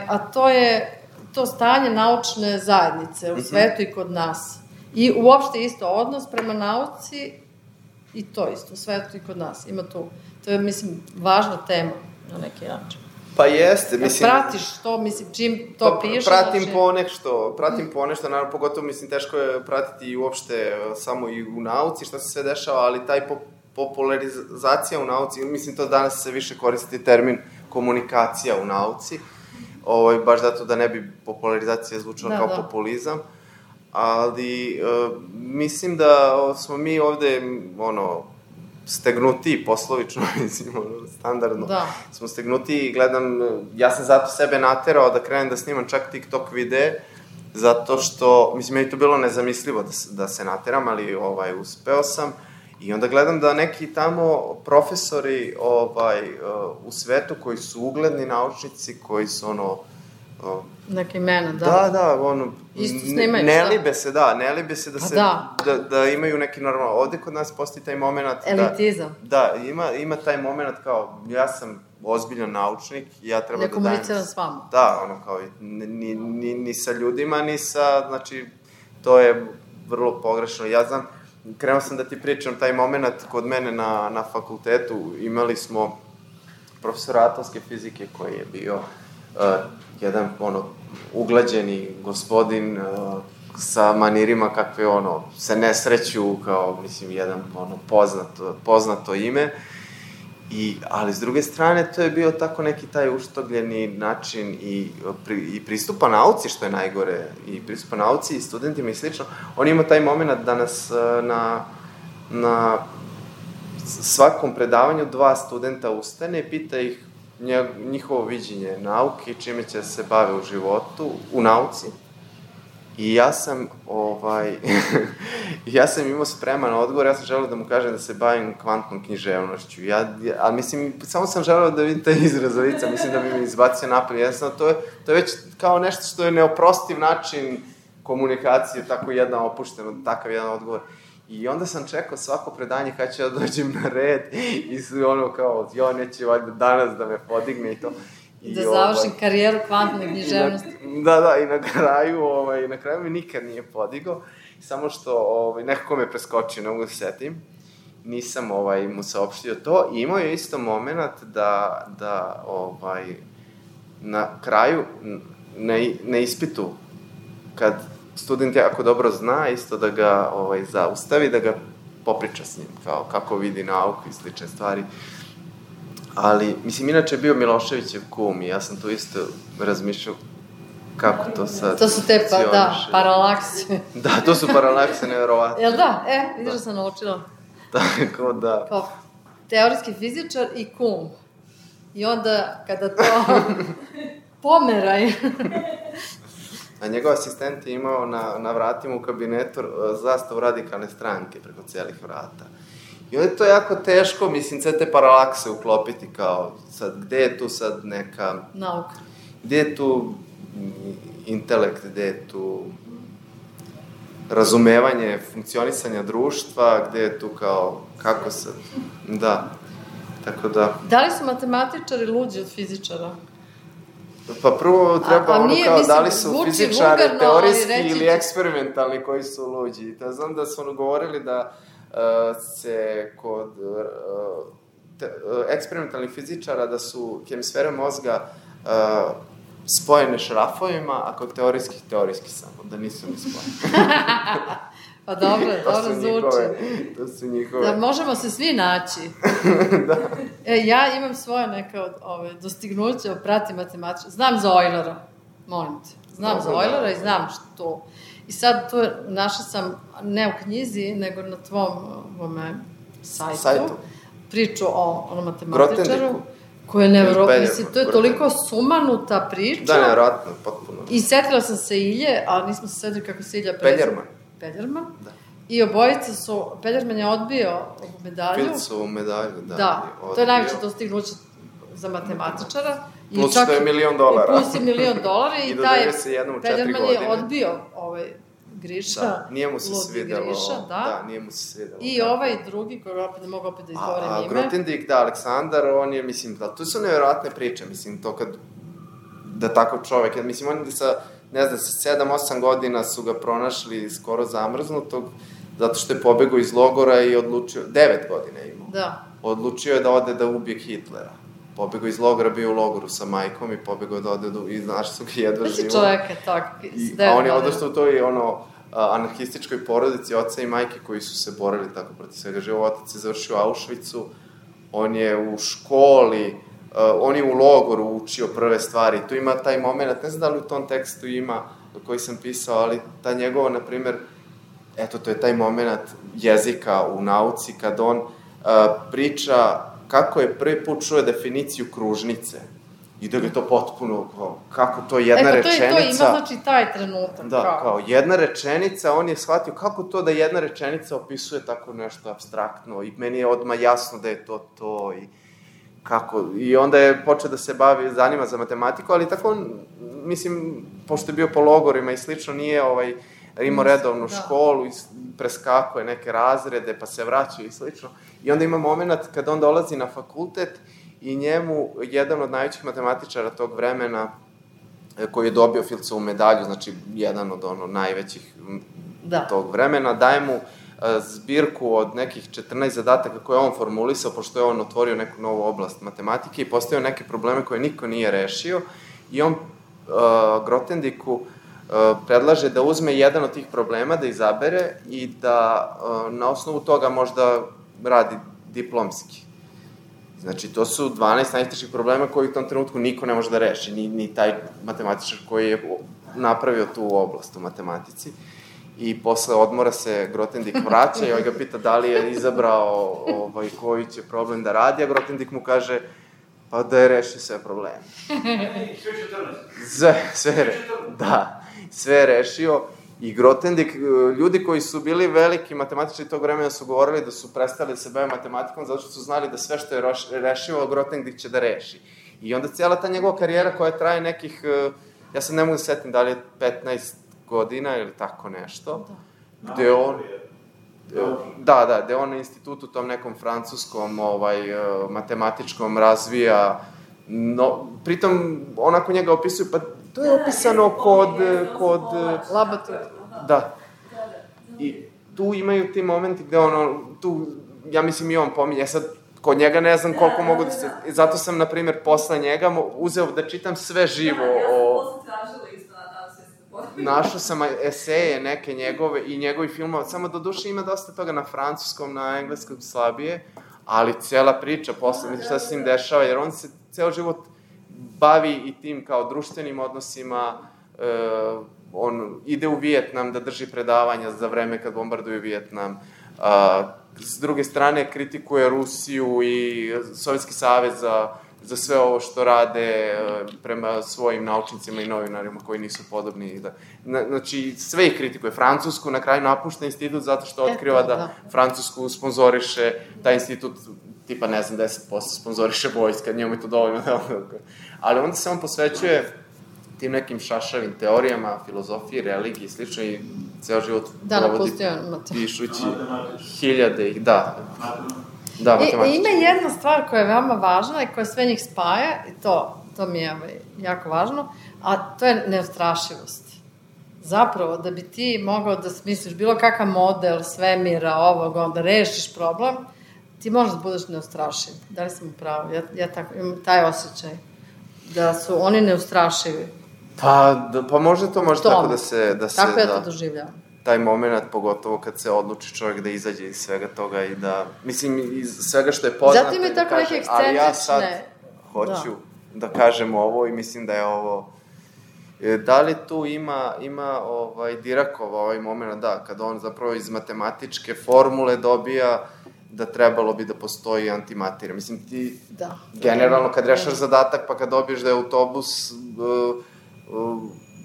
Speaker 2: a to je to stanje naučne zajednice u svetu i kod nas. I uopšte isto odnos prema nauci i to isto, u svetu i kod nas. Ima tu, to je, mislim, važna tema na neki način.
Speaker 1: Pa jeste, mislim...
Speaker 2: Pratiš to, mislim, čim to pišeš...
Speaker 1: Pratim ponešto, naravno, pogotovo, mislim, teško je pratiti i uopšte samo i u nauci, šta se sve dešava, ali taj popularizacija u nauci, mislim, to danas se više koristi termin komunikacija u nauci, baš zato da ne bi popularizacija zvučala kao populizam, ali mislim da smo mi ovde, stegnuti, poslovično, mislim, standardno, smo stegnuti i gledam, ja sam zato sebe naterao da krenem da snimam čak TikTok videe, zato što, mislim, meni to bilo nezamislivo da se nateram, ali uspeo sam i onda gledam da neki tamo profesori u svetu koji su ugledni naučnici, koji su
Speaker 2: neke imena, da.
Speaker 1: Da,
Speaker 2: isto snimaju,
Speaker 1: ne libe se da imaju neki normalno, ovde kod nas postoji taj moment...
Speaker 2: Elitizam.
Speaker 1: Da, ima taj moment kao, ja sam ozbiljan naučnik, ja treba da dajem...
Speaker 2: Ne komuniciram s vama.
Speaker 1: Da, kao, ni sa ljudima, ni sa, znači, to je vrlo pogrešno. Ja znam, krenuo sam da ti pričam taj moment kod mene na fakultetu, imali smo profesora atomske fizike koji je bio jedan, uglađeni gospodin sa manirima kakve, se ne sreću kao, mislim, jedan, poznato ime. Ali, s druge strane, to je bio tako neki taj uštogljeni način i pristupa nauci, što je najgore, i pristupa nauci i studentima i slično. On ima taj moment da nas na svakom predavanju 2 studenta ustane i pita ih njihovo viđenje nauke i čime će se bave u životu, u nauci. I ja sam ja sam imao spreman odgovor, ja sam želeo da mu kažem da se bavim kvantnom književnošću. Ali mislim, samo sam želeo da vidim taj izraz lica, mislim da bi mi izbacio napolje. Jednostavno, to je već kao nešto što je neoprostiv način komunikacije, tako jedan opušten, takav jedan odgovor. I onda sam čekao svako predanje kad ću ja dođem na red i ono kao, neće valjda danas da me podigne i to.
Speaker 2: Da završim karijeru kvantne književnosti.
Speaker 1: Da, i na kraju me nikad nije podigao, samo što nekako me preskočio, ne mogu da setim, nisam mu saopštio to i imao je isto moment da na kraju, na ispitu, kad student jako dobro zna, isto da ga zaustavi, da ga popriča s njim, kao kako vidi nauku i slične stvari. Ali, mislim, inače je bio Miloševićev kum i ja sam tu isto razmišljao kako to sad...
Speaker 2: To su te, paralakse.
Speaker 1: Da, to su paralakse, nevjerovatno.
Speaker 2: Jel da? Vidiš da sam naučila.
Speaker 1: Tako da...
Speaker 2: Kao teorijski fizičar i kum. I onda, kada to pomeraj...
Speaker 1: A njegov asistent je imao na vratima u kabinetu zastavu Radikalne stranke preko celih vrata. I onda je to jako teško, mislim, sve te paralakse uklopiti kao, sad, gde je tu sad neka...
Speaker 2: Nauka.
Speaker 1: Gde je tu intelekt, gde je tu razumevanje funkcionisanja društva, gde je tu kao, kako sad, da, tako da...
Speaker 2: Da li su matematičari luđi od fizičara?
Speaker 1: Pa prvo treba kao, da li su fizičari teorijski ili eksperimentalni koji su luđi. Ja znam da su govorili da se kod eksperimentalnih fizičara da su hemisfere mozga spojene šrafovima, a kod teorijski samo, da nisu ni spojene.
Speaker 2: Pa dobro zvuči.
Speaker 1: To su njihove.
Speaker 2: Da možemo se svi naći.
Speaker 1: Da.
Speaker 2: Ja imam svoje neke dostignuće, pratim matematičara. Znam za Eulera, molim te. Znam za Eulera i znam što. I sad to našla sam, ne u knjizi, nego na tvom sajtu. Priču o matematičaru. Koja je nevjerojatno, mislim, to je toliko sumanuta priča.
Speaker 1: Da, nevjerojatno, potpuno.
Speaker 2: I setila sam se Ilje, ali nismo se setili kako se Ilja prezira. Peljerman.
Speaker 1: Da.
Speaker 2: I obojica su, Peljerman je odbio medalju.
Speaker 1: Filcovu medalju, da.
Speaker 2: Da, to je najveće dostignuće za matematičara.
Speaker 1: Plus što je $1.000.000.
Speaker 2: I plus je $1.000.000
Speaker 1: i taj
Speaker 2: Peljerman je odbio Griša.
Speaker 1: Da, nije mu se svidelo.
Speaker 2: Da,
Speaker 1: nije mu se svidelo.
Speaker 2: I drugi, koji opet ne mogu opet da izgovorim ime.
Speaker 1: Grothendieck, da, Aleksandar, on je, mislim, da, to su nevjerojatne priče, mislim, to kad, da tako čovek, mislim, on je sa, ne znam, sa 7-8 godina su ga pronašli skoro zamrznutog, zato što je pobegao iz logora i odlučio, 9 godina je imao.
Speaker 2: Da.
Speaker 1: Odlučio je da ode da ubije Hitlera. Pobegao iz logora, bio u logoru sa majkom i pobegao da ode i znaš su ga jedva živo.
Speaker 2: Znači čovjek je tako.
Speaker 1: A on je odošao u toj anarhističkoj porodici oca i majke koji su se borili tako protiv svega živo. Otac je završio u Auschwitzu, on je u školi, on je u logoru učio prve stvari. Tu ima taj moment, ne znam da li u tom tekstu ima koji sam pisao, ali ta njegova, na primer, eto, to je taj moment jezika u nauci kad on priča kako je prvi put čuo definiciju kružnice i da ga je to potpuno, kako to jedna rečenica...
Speaker 2: To ima, znači, taj trenutak.
Speaker 1: Da, kao jedna rečenica, on je shvatio kako to da jedna rečenica opisuje tako nešto apstraktno i meni je odmah jasno da je to i kako... I onda je počeo da se zanima za matematiku, ali tako, mislim, pošto je bio po logorima i slično, nije imao redovnu školu i preskakuje neke razrede, pa se vraćaju i slično. I onda ima moment kad on dolazi na fakultet i njemu jedan od najvećih matematičara tog vremena, koji je dobio Filcovu medalju, znači jedan od najvećih tog vremena, daje mu zbirku od nekih 14 zadataka koje je on formulisao, pošto je on otvorio neku novu oblast matematike i postavio neke probleme koje niko nije rešio. I on Grothendieku predlaže da uzme jedan od tih problema, da izabere i da na osnovu toga možda radi diplomski. Znači, to su 12 najtežih problema koji u tom trenutku niko ne može da reši, ni taj matematičar koji je napravio tu oblast u matematici. I posle odmora se Grothendieck vraća i ga pita da li je izabrao koji će problem da radi, a Grothendieck mu kaže pa da je rešio sve probleme. Sve je rešio. I Grothendieck, ljudi koji su bili veliki matematičari tog vremena su govorili da su prestali da se bave matematikom zato što su znali da sve što je rešivo, Grothendieck će da reši. I onda cijela ta njegova karijera koja traje nekih, ja sad ne mogu da setim da li je 15 godina ili tako nešto, gde on... gde on na institutu tom nekom francuskom, matematičkom razvija, pritom onako njega opisuju, pa to je opisano kod...
Speaker 2: Laborator.
Speaker 1: Da. I tu imaju ti momenti gde tu, ja mislim i on pominje, sad, kod njega ne znam koliko mogu da se... Zato sam, na primjer, posle njega uzeo da čitam sve živo o... Našao sam eseje neke njegove i njegovi filmova, samo do duše ima dosta toga na francuskom, na engleskom slabije, ali cijela priča posle, šta se s njim dešava, jer on se ceo život bavi i tim kao društvenim odnosima, on ide u Vijetnam da drži predavanja za vreme kad bombarduju Vijetnam, s druge strane kritikuje Rusiju i Sovjetski savez za sve ovo što rade prema svojim naučnicima i novinarima koji nisu podobni. Znači, sve ih kritikuje. Francusku na kraju napušta institut zato što otkriva da Francusku sponzoriše, taj institut, tipa, ne znam, 10% sponzoriše vojska, njemu je to dovoljno. Ali onda se on posvećuje tim nekim šašavim teorijama, filozofiji, religiji i slično i ceo život provodi pišući hiljade ih, Da, matematički.
Speaker 2: Ima jedna stvar koja je veoma važna i koja sve njih spaja, i to mi je jako važno, a to je neustrašivost. Zapravo, da bi ti mogao da smisliš bilo kakav model svemira, onda rešiš problem, ti možeš da budeš neustrašiv. Da li sam u pravu? Ja tako, imam taj osjećaj. Da su oni neustrašivi.
Speaker 1: Pa možda to može tako da se...
Speaker 2: Tako ja to doživljavam.
Speaker 1: Taj moment, pogotovo kad se odluči čovjek da izađe iz svega toga i da, mislim, iz svega što je poznato.
Speaker 2: Zato ima tako neke ekscentrične...
Speaker 1: Ali ja sad hoću da kažem ovo i mislim da je ovo... Da li tu ima Diracova ovaj moment, kada on zapravo iz matematičke formule dobija da trebalo bi da postoji antimaterija. Mislim, ti generalno kad rešaš zadatak pa kad dobiješ da je autobus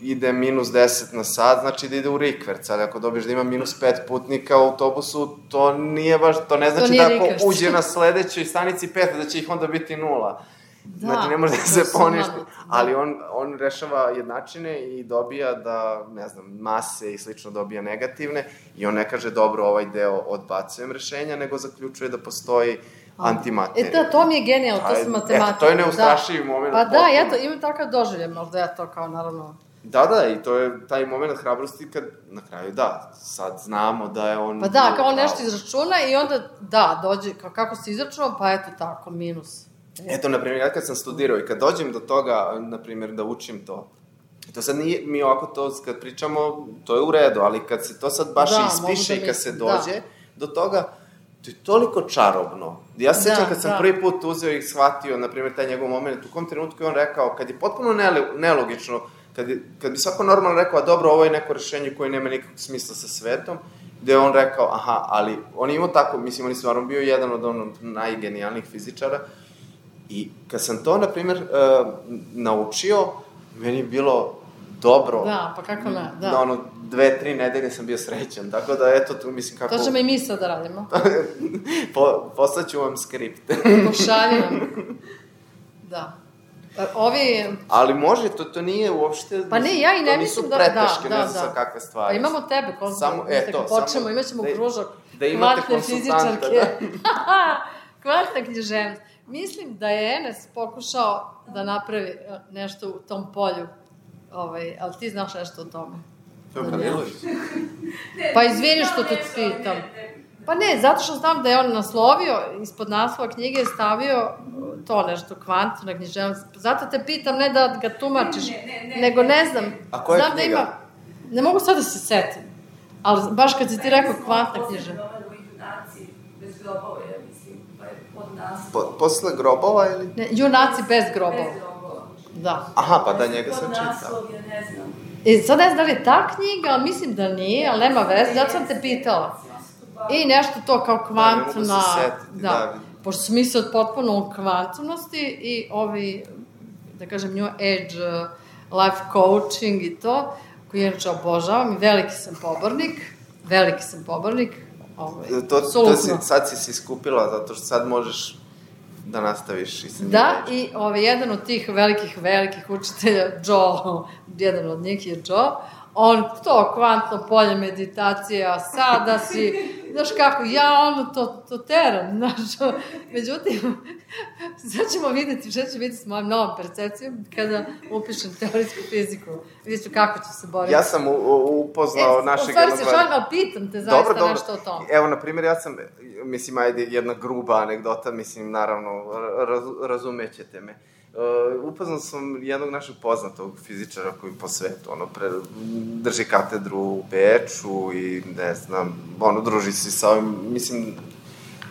Speaker 1: ide minus 10 na sat, znači da ide u rikverc, ali ako dobiješ da ima minus 5 putnika u autobusu, to nije baš, to ne znači da ako uđe na sledećoj stanici 5, da će ih onda biti 0. Znači, ne može da se poništi. Ali on rešava jednačine i dobija da, ne znam, mase i slično dobija negativne i on ne kaže, dobro, ovaj deo odbacujem rešenja, nego zaključuje da postoji antimaterija.
Speaker 2: To mi je genijalno, to su matematika.
Speaker 1: To je neustrašivi moment.
Speaker 2: Pa da, ja to imam takav doživljaj, možda ja to kao naravno...
Speaker 1: Da, i to je taj moment hrabrosti kad, na kraju, sad znamo da je on...
Speaker 2: Pa da, kao on nešto izračuna i onda, dođe, kako se izračunao, pa eto tako, minus.
Speaker 1: Eto, na primjer, ja kad sam studirao i kad dođem do toga, na primjer, da učim to sad nije, mi ovako to, kad pričamo, to je u redu, ali kad se to sad baš ispiše i kad se dođe do toga, to je toliko čarobno. Ja se sjećam kad sam prvi put uzeo i shvatio, na primjer, taj njegov moment, u kom trenutku je on rekao, kad je potpuno nelogično, kad bi svako normalno rekao, a dobro, ovo je neko rešenje koje nema nikakvog smisla sa svetom, gde je on rekao, ali on je imao tako, mislim, on je stvarno bio jedan od najgenijalnijih fizičara, i kad sam to, na primjer, naučio, meni je bilo dobro.
Speaker 2: Da, pa kako ne, da.
Speaker 1: Na 2-3 nedelje sam bio srećan, tako da, eto, tu mislim kako...
Speaker 2: To ćemo i mi sad da radimo.
Speaker 1: Poslaću vam skript.
Speaker 2: Pošalji nam. Da.
Speaker 1: Ali može, to nije uopšte...
Speaker 2: Pa ne, ja i ne mislim da...
Speaker 1: To nisu preteške, ne znam sa kakve stvari.
Speaker 2: Pa imamo tebe, počnemo, imat ćemo kružak kvantne fizičarke. Kvantna književnost. Mislim da je Enes pokušao da napravi nešto u tom polju, ali ti znaš nešto o tome.
Speaker 1: To je Branilović.
Speaker 2: Pa izvini što te pitam. Pa ne, zato što znam da je on naslovio, ispod naslova knjige je stavio to nešto, kvantna književnost. Zato te pitam, ne da ga tumačiš, nego ne znam.
Speaker 1: A koja je knjiga?
Speaker 2: Ne mogu sad da se setim, ali baš kad si ti rekao kvantna književnost.
Speaker 4: Bez grobova, ja mislim, pa je od nas.
Speaker 1: Posle grobova ili?
Speaker 2: Ne, junaci bez grobova.
Speaker 4: Bez grobova.
Speaker 2: Da.
Speaker 1: Aha, pa da njega sam čitao.
Speaker 4: Naslov, ja ne znam.
Speaker 2: Sad ne znam da li je ta knjiga, ali mislim da nije, ali nema veze, zato sam te pitala. I nešto to kao kvantna...
Speaker 1: Da, ne mogu se setiti, da.
Speaker 2: Pošto su misle od potpuno kvantnosti i ovi, da kažem, New Age, life coaching i to, koji inače obožavam i veliki sam pobornik,
Speaker 1: sad si se iskupila, zato što sad možeš da nastaviš i sa njim.
Speaker 2: Da, i jedan od tih velikih učitelja, Joe, jedan od njih je Joe, on to kvantno polje meditacija, sada si, znaš kako, ja to teram, znaš, međutim, sad ćemo vidjeti, šta ću vidjeti s mojom novom percepcijom kada upišem teorijsku fiziku, vidjet ću kako ću se boriti.
Speaker 1: Ja sam upoznao našeg...
Speaker 2: U stvari se šalim, ali pitam te zaista nešto o tom.
Speaker 1: Evo, na primjer, ja sam, mislim, ajde, jedna gruba anegdota, mislim, naravno, razumećete me. Upoznao sam jednog našeg poznatog fizičara koji po svetu, drži katedru u Beču i, ne znam, druži se sa ovim, mislim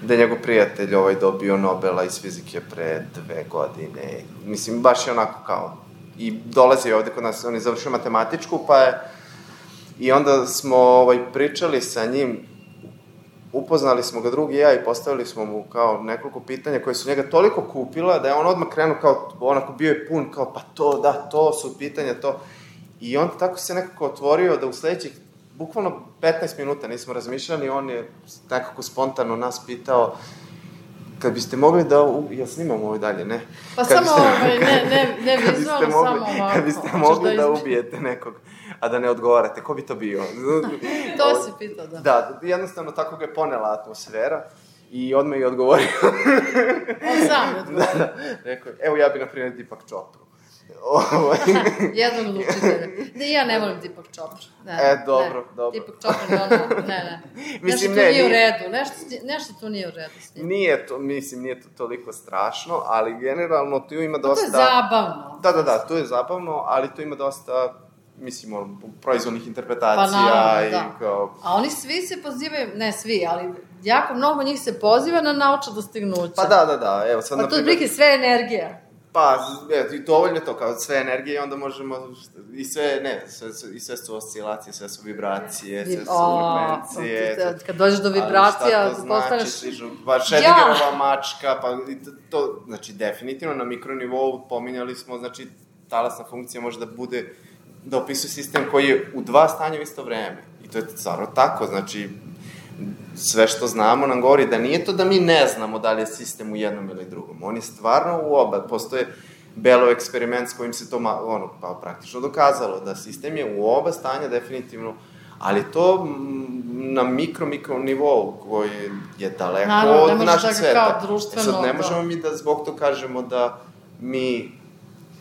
Speaker 1: da je njegov prijatelj dobio Nobela iz fizike pre 2 godine, mislim, baš je onako kao, i dolazi ovde kod nas, on je završio matematičku, pa je, i onda smo pričali sa njim, upoznali smo ga drugi ja i postavili smo mu kao nekoliko pitanja koje su njega toliko kupila da je on odmah krenuo kao, onako bio je pun kao, pa to, da, to su pitanja, to. I on tako se nekako otvorio da u sledećih, bukvalno 15 minuta nismo razmišljali, on je nekako spontano nas pitao, kad biste mogli da, ja snimam ovo dalje, ne?
Speaker 2: Pa samo, ne vizualno, samo ovako.
Speaker 1: Kad biste mogli da ubijete nekog, a da ne odgovarate, ko bi to bio?
Speaker 2: To si pitao, da.
Speaker 1: Da, jednostavno tako ga je ponela atmosfera i odmah je odgovorio.
Speaker 2: On sam je odgovorio.
Speaker 1: Da, rekao je, evo ja bi, na primjer, Deepak Chopru.
Speaker 2: Jednog od učitelja. Ja ne volim Deepak Chopru.
Speaker 1: Dobro.
Speaker 2: Deepak Chopru, ne. Nešto tu nije u redu. Nešto tu nije u redu s njim.
Speaker 1: Nije to toliko strašno, ali generalno tu ima dosta...
Speaker 2: To je zabavno.
Speaker 1: Da, to je zabavno, ali tu ima dosta, mislim, proizvodnih interpretacija.
Speaker 2: Pa naravno, da.
Speaker 1: Kao...
Speaker 2: A oni svi se pozivaju, ne svi, ali jako mnogo njih se poziva na naučna dostignuća.
Speaker 1: Pa da, evo sad...
Speaker 2: Pa to je prike sve energija.
Speaker 1: Pa, dovoljno je to, kao sve energije, onda možemo, i sve su oscilacije, sve su vibracije, sve su frekvencije.
Speaker 2: Kad dođeš do vibracija, postaneš...
Speaker 1: Pa Schrödingerova mačka, pa to, znači, definitivno na mikronivou pominjali smo, znači, talasna funkcija može da bude, da opisuje sistem koji je u 2 stanja u isto vreme. I to je stvarno tako, znači, sve što znamo nam govori da nije to da mi ne znamo da li je sistem u jednom ili drugom. On je stvarno u oba. Postoje Bellov eksperiment s kojim se to praktično dokazalo, da sistem je u oba stanja definitivno, ali to na mikro nivou koji je daleko od našeg sveta. Sad ne možemo mi da zbog to kažemo da mi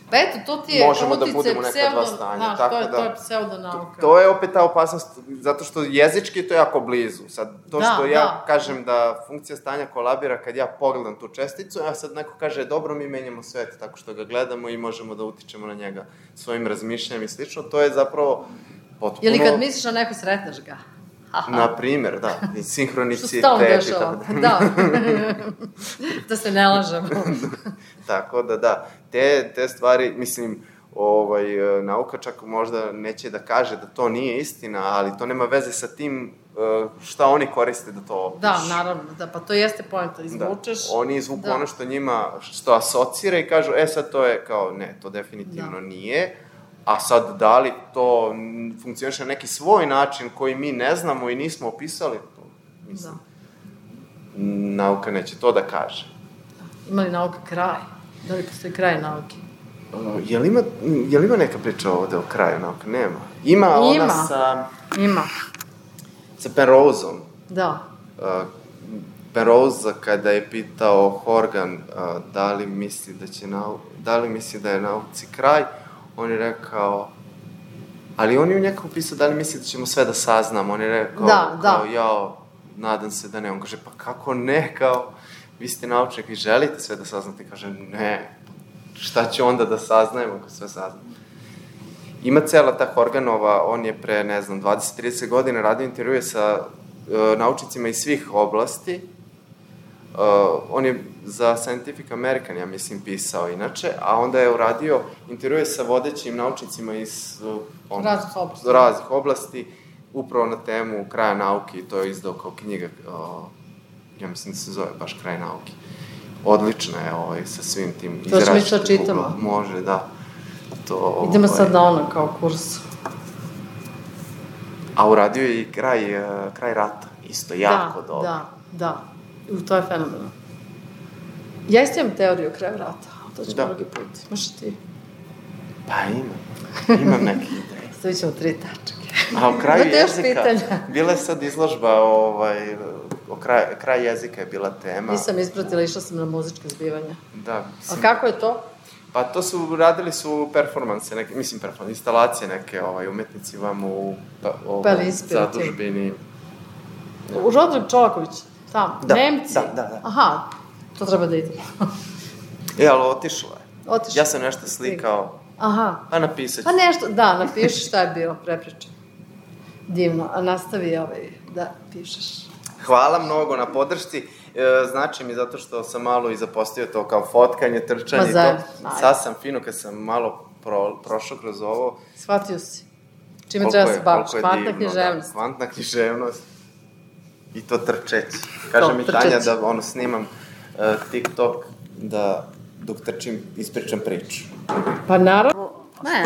Speaker 2: pa eto, to ti je
Speaker 1: možemo da budemo neka 2 stanja.
Speaker 2: To je pseudonauka.
Speaker 1: To je opet ta opasnost, zato što jezički to je jako blizu. Sad, to što ja kažem da funkcija stanja kolabira kad ja pogledam tu česticu, a sad neko kaže, dobro, mi menjamo svet tako što ga gledamo i možemo da utičemo na njega svojim razmišljanjem i slično, to je zapravo potpuno...
Speaker 2: Ili kad misliš na neko, sretneš ga.
Speaker 1: Na primer, da, i sinhronicitet.
Speaker 2: Što stalno dešava, da. Da se ne lažemo.
Speaker 1: Tako da, te stvari, mislim, nauka čak možda neće da kaže da to nije istina, ali to nema veze sa tim šta oni koriste da to opišu.
Speaker 2: Da, naravno, da, pa to jeste poenta, izvučeš.
Speaker 1: Da, oni izvuku ono što njima, što asocira i kažu, sad to je kao, ne, to definitivno nije, a sad da li to funkcioniše na neki svoj način koji mi ne znamo i nismo opisali, to, mislim, nauka neće to da kaže.
Speaker 2: Ima li nauka kraj? Da li postoji kraj nauke?
Speaker 1: Je li ima neka priča ovde o kraju nauke? Nema. Ima ona sa...
Speaker 2: Ima.
Speaker 1: Sa Penroseom.
Speaker 2: Da.
Speaker 1: Penrose, kada je pitao Horgan da li misli da je nauci kraj, on je rekao... Ali on je u nekako pisao da li misli da ćemo sve da saznamo. On je rekao, nadam se da ne. On kaže, pa kako ne, kao... Vi ste naučnik i želite sve da saznate, kaže, ne, šta će onda da saznajemo ako sve saznamo? Ima cela ta Horganova, on je pre, 20-30 godina radio intervjue sa naučnicima iz svih oblasti. On je za Scientific American, ja mislim, pisao inače, a onda je uradio intervjue sa vodećim naučnicima iz raznih oblasti, upravo na temu kraja nauke, i to je izdao kao knjiga, ja mislim da se zove baš Kraj nauke. Odlična je sa svim tim izračima.
Speaker 2: To ćemo čitamo.
Speaker 1: Može, da.
Speaker 2: Idemo sad na ono kao kurs.
Speaker 1: A uradio je i kraj rata, isto jako dobro.
Speaker 2: Da. To je fenomenalno. Ja isto imam teoriju o kraju rata, to ćemo drugi put. Imaš ti?
Speaker 1: Pa imam neke ideje.
Speaker 2: Stavit ćemo 3 tačke.
Speaker 1: A o kraju jezika, bila je sad izložba, kraj jezika je bila tema.
Speaker 2: Nisam ispratila, išla sam na muzičke zbivanja.
Speaker 1: Da.
Speaker 2: A kako je to?
Speaker 1: Pa to radili su performanse, instalacije neke, umetnici vam u zadužbini.
Speaker 2: U Rodrik Čolaković, tamo, Nemci?
Speaker 1: Da.
Speaker 2: Aha, to treba da idemo.
Speaker 1: Ali otišla je. Ja sam nešto slikao.
Speaker 2: Aha.
Speaker 1: Pa napisat ću.
Speaker 2: Pa nešto, da, napiši šta je bilo, prepričaj. Divno, a nastavi da pišeš.
Speaker 1: Hvala mnogo na podršci. Znači mi zato što sam malo i zapostio to kao fotkanje, trčanje i to. Sad sam fino kad sam malo prošao kroz ovo.
Speaker 2: Shvatio si. Čime treba se baviš? Kvantna književnost.
Speaker 1: Kvantna književnost. I to trčeći. Kaže mi Tanja da snimam TikTok da dok trčim ispričam priču.
Speaker 2: Pa naravno. Ne.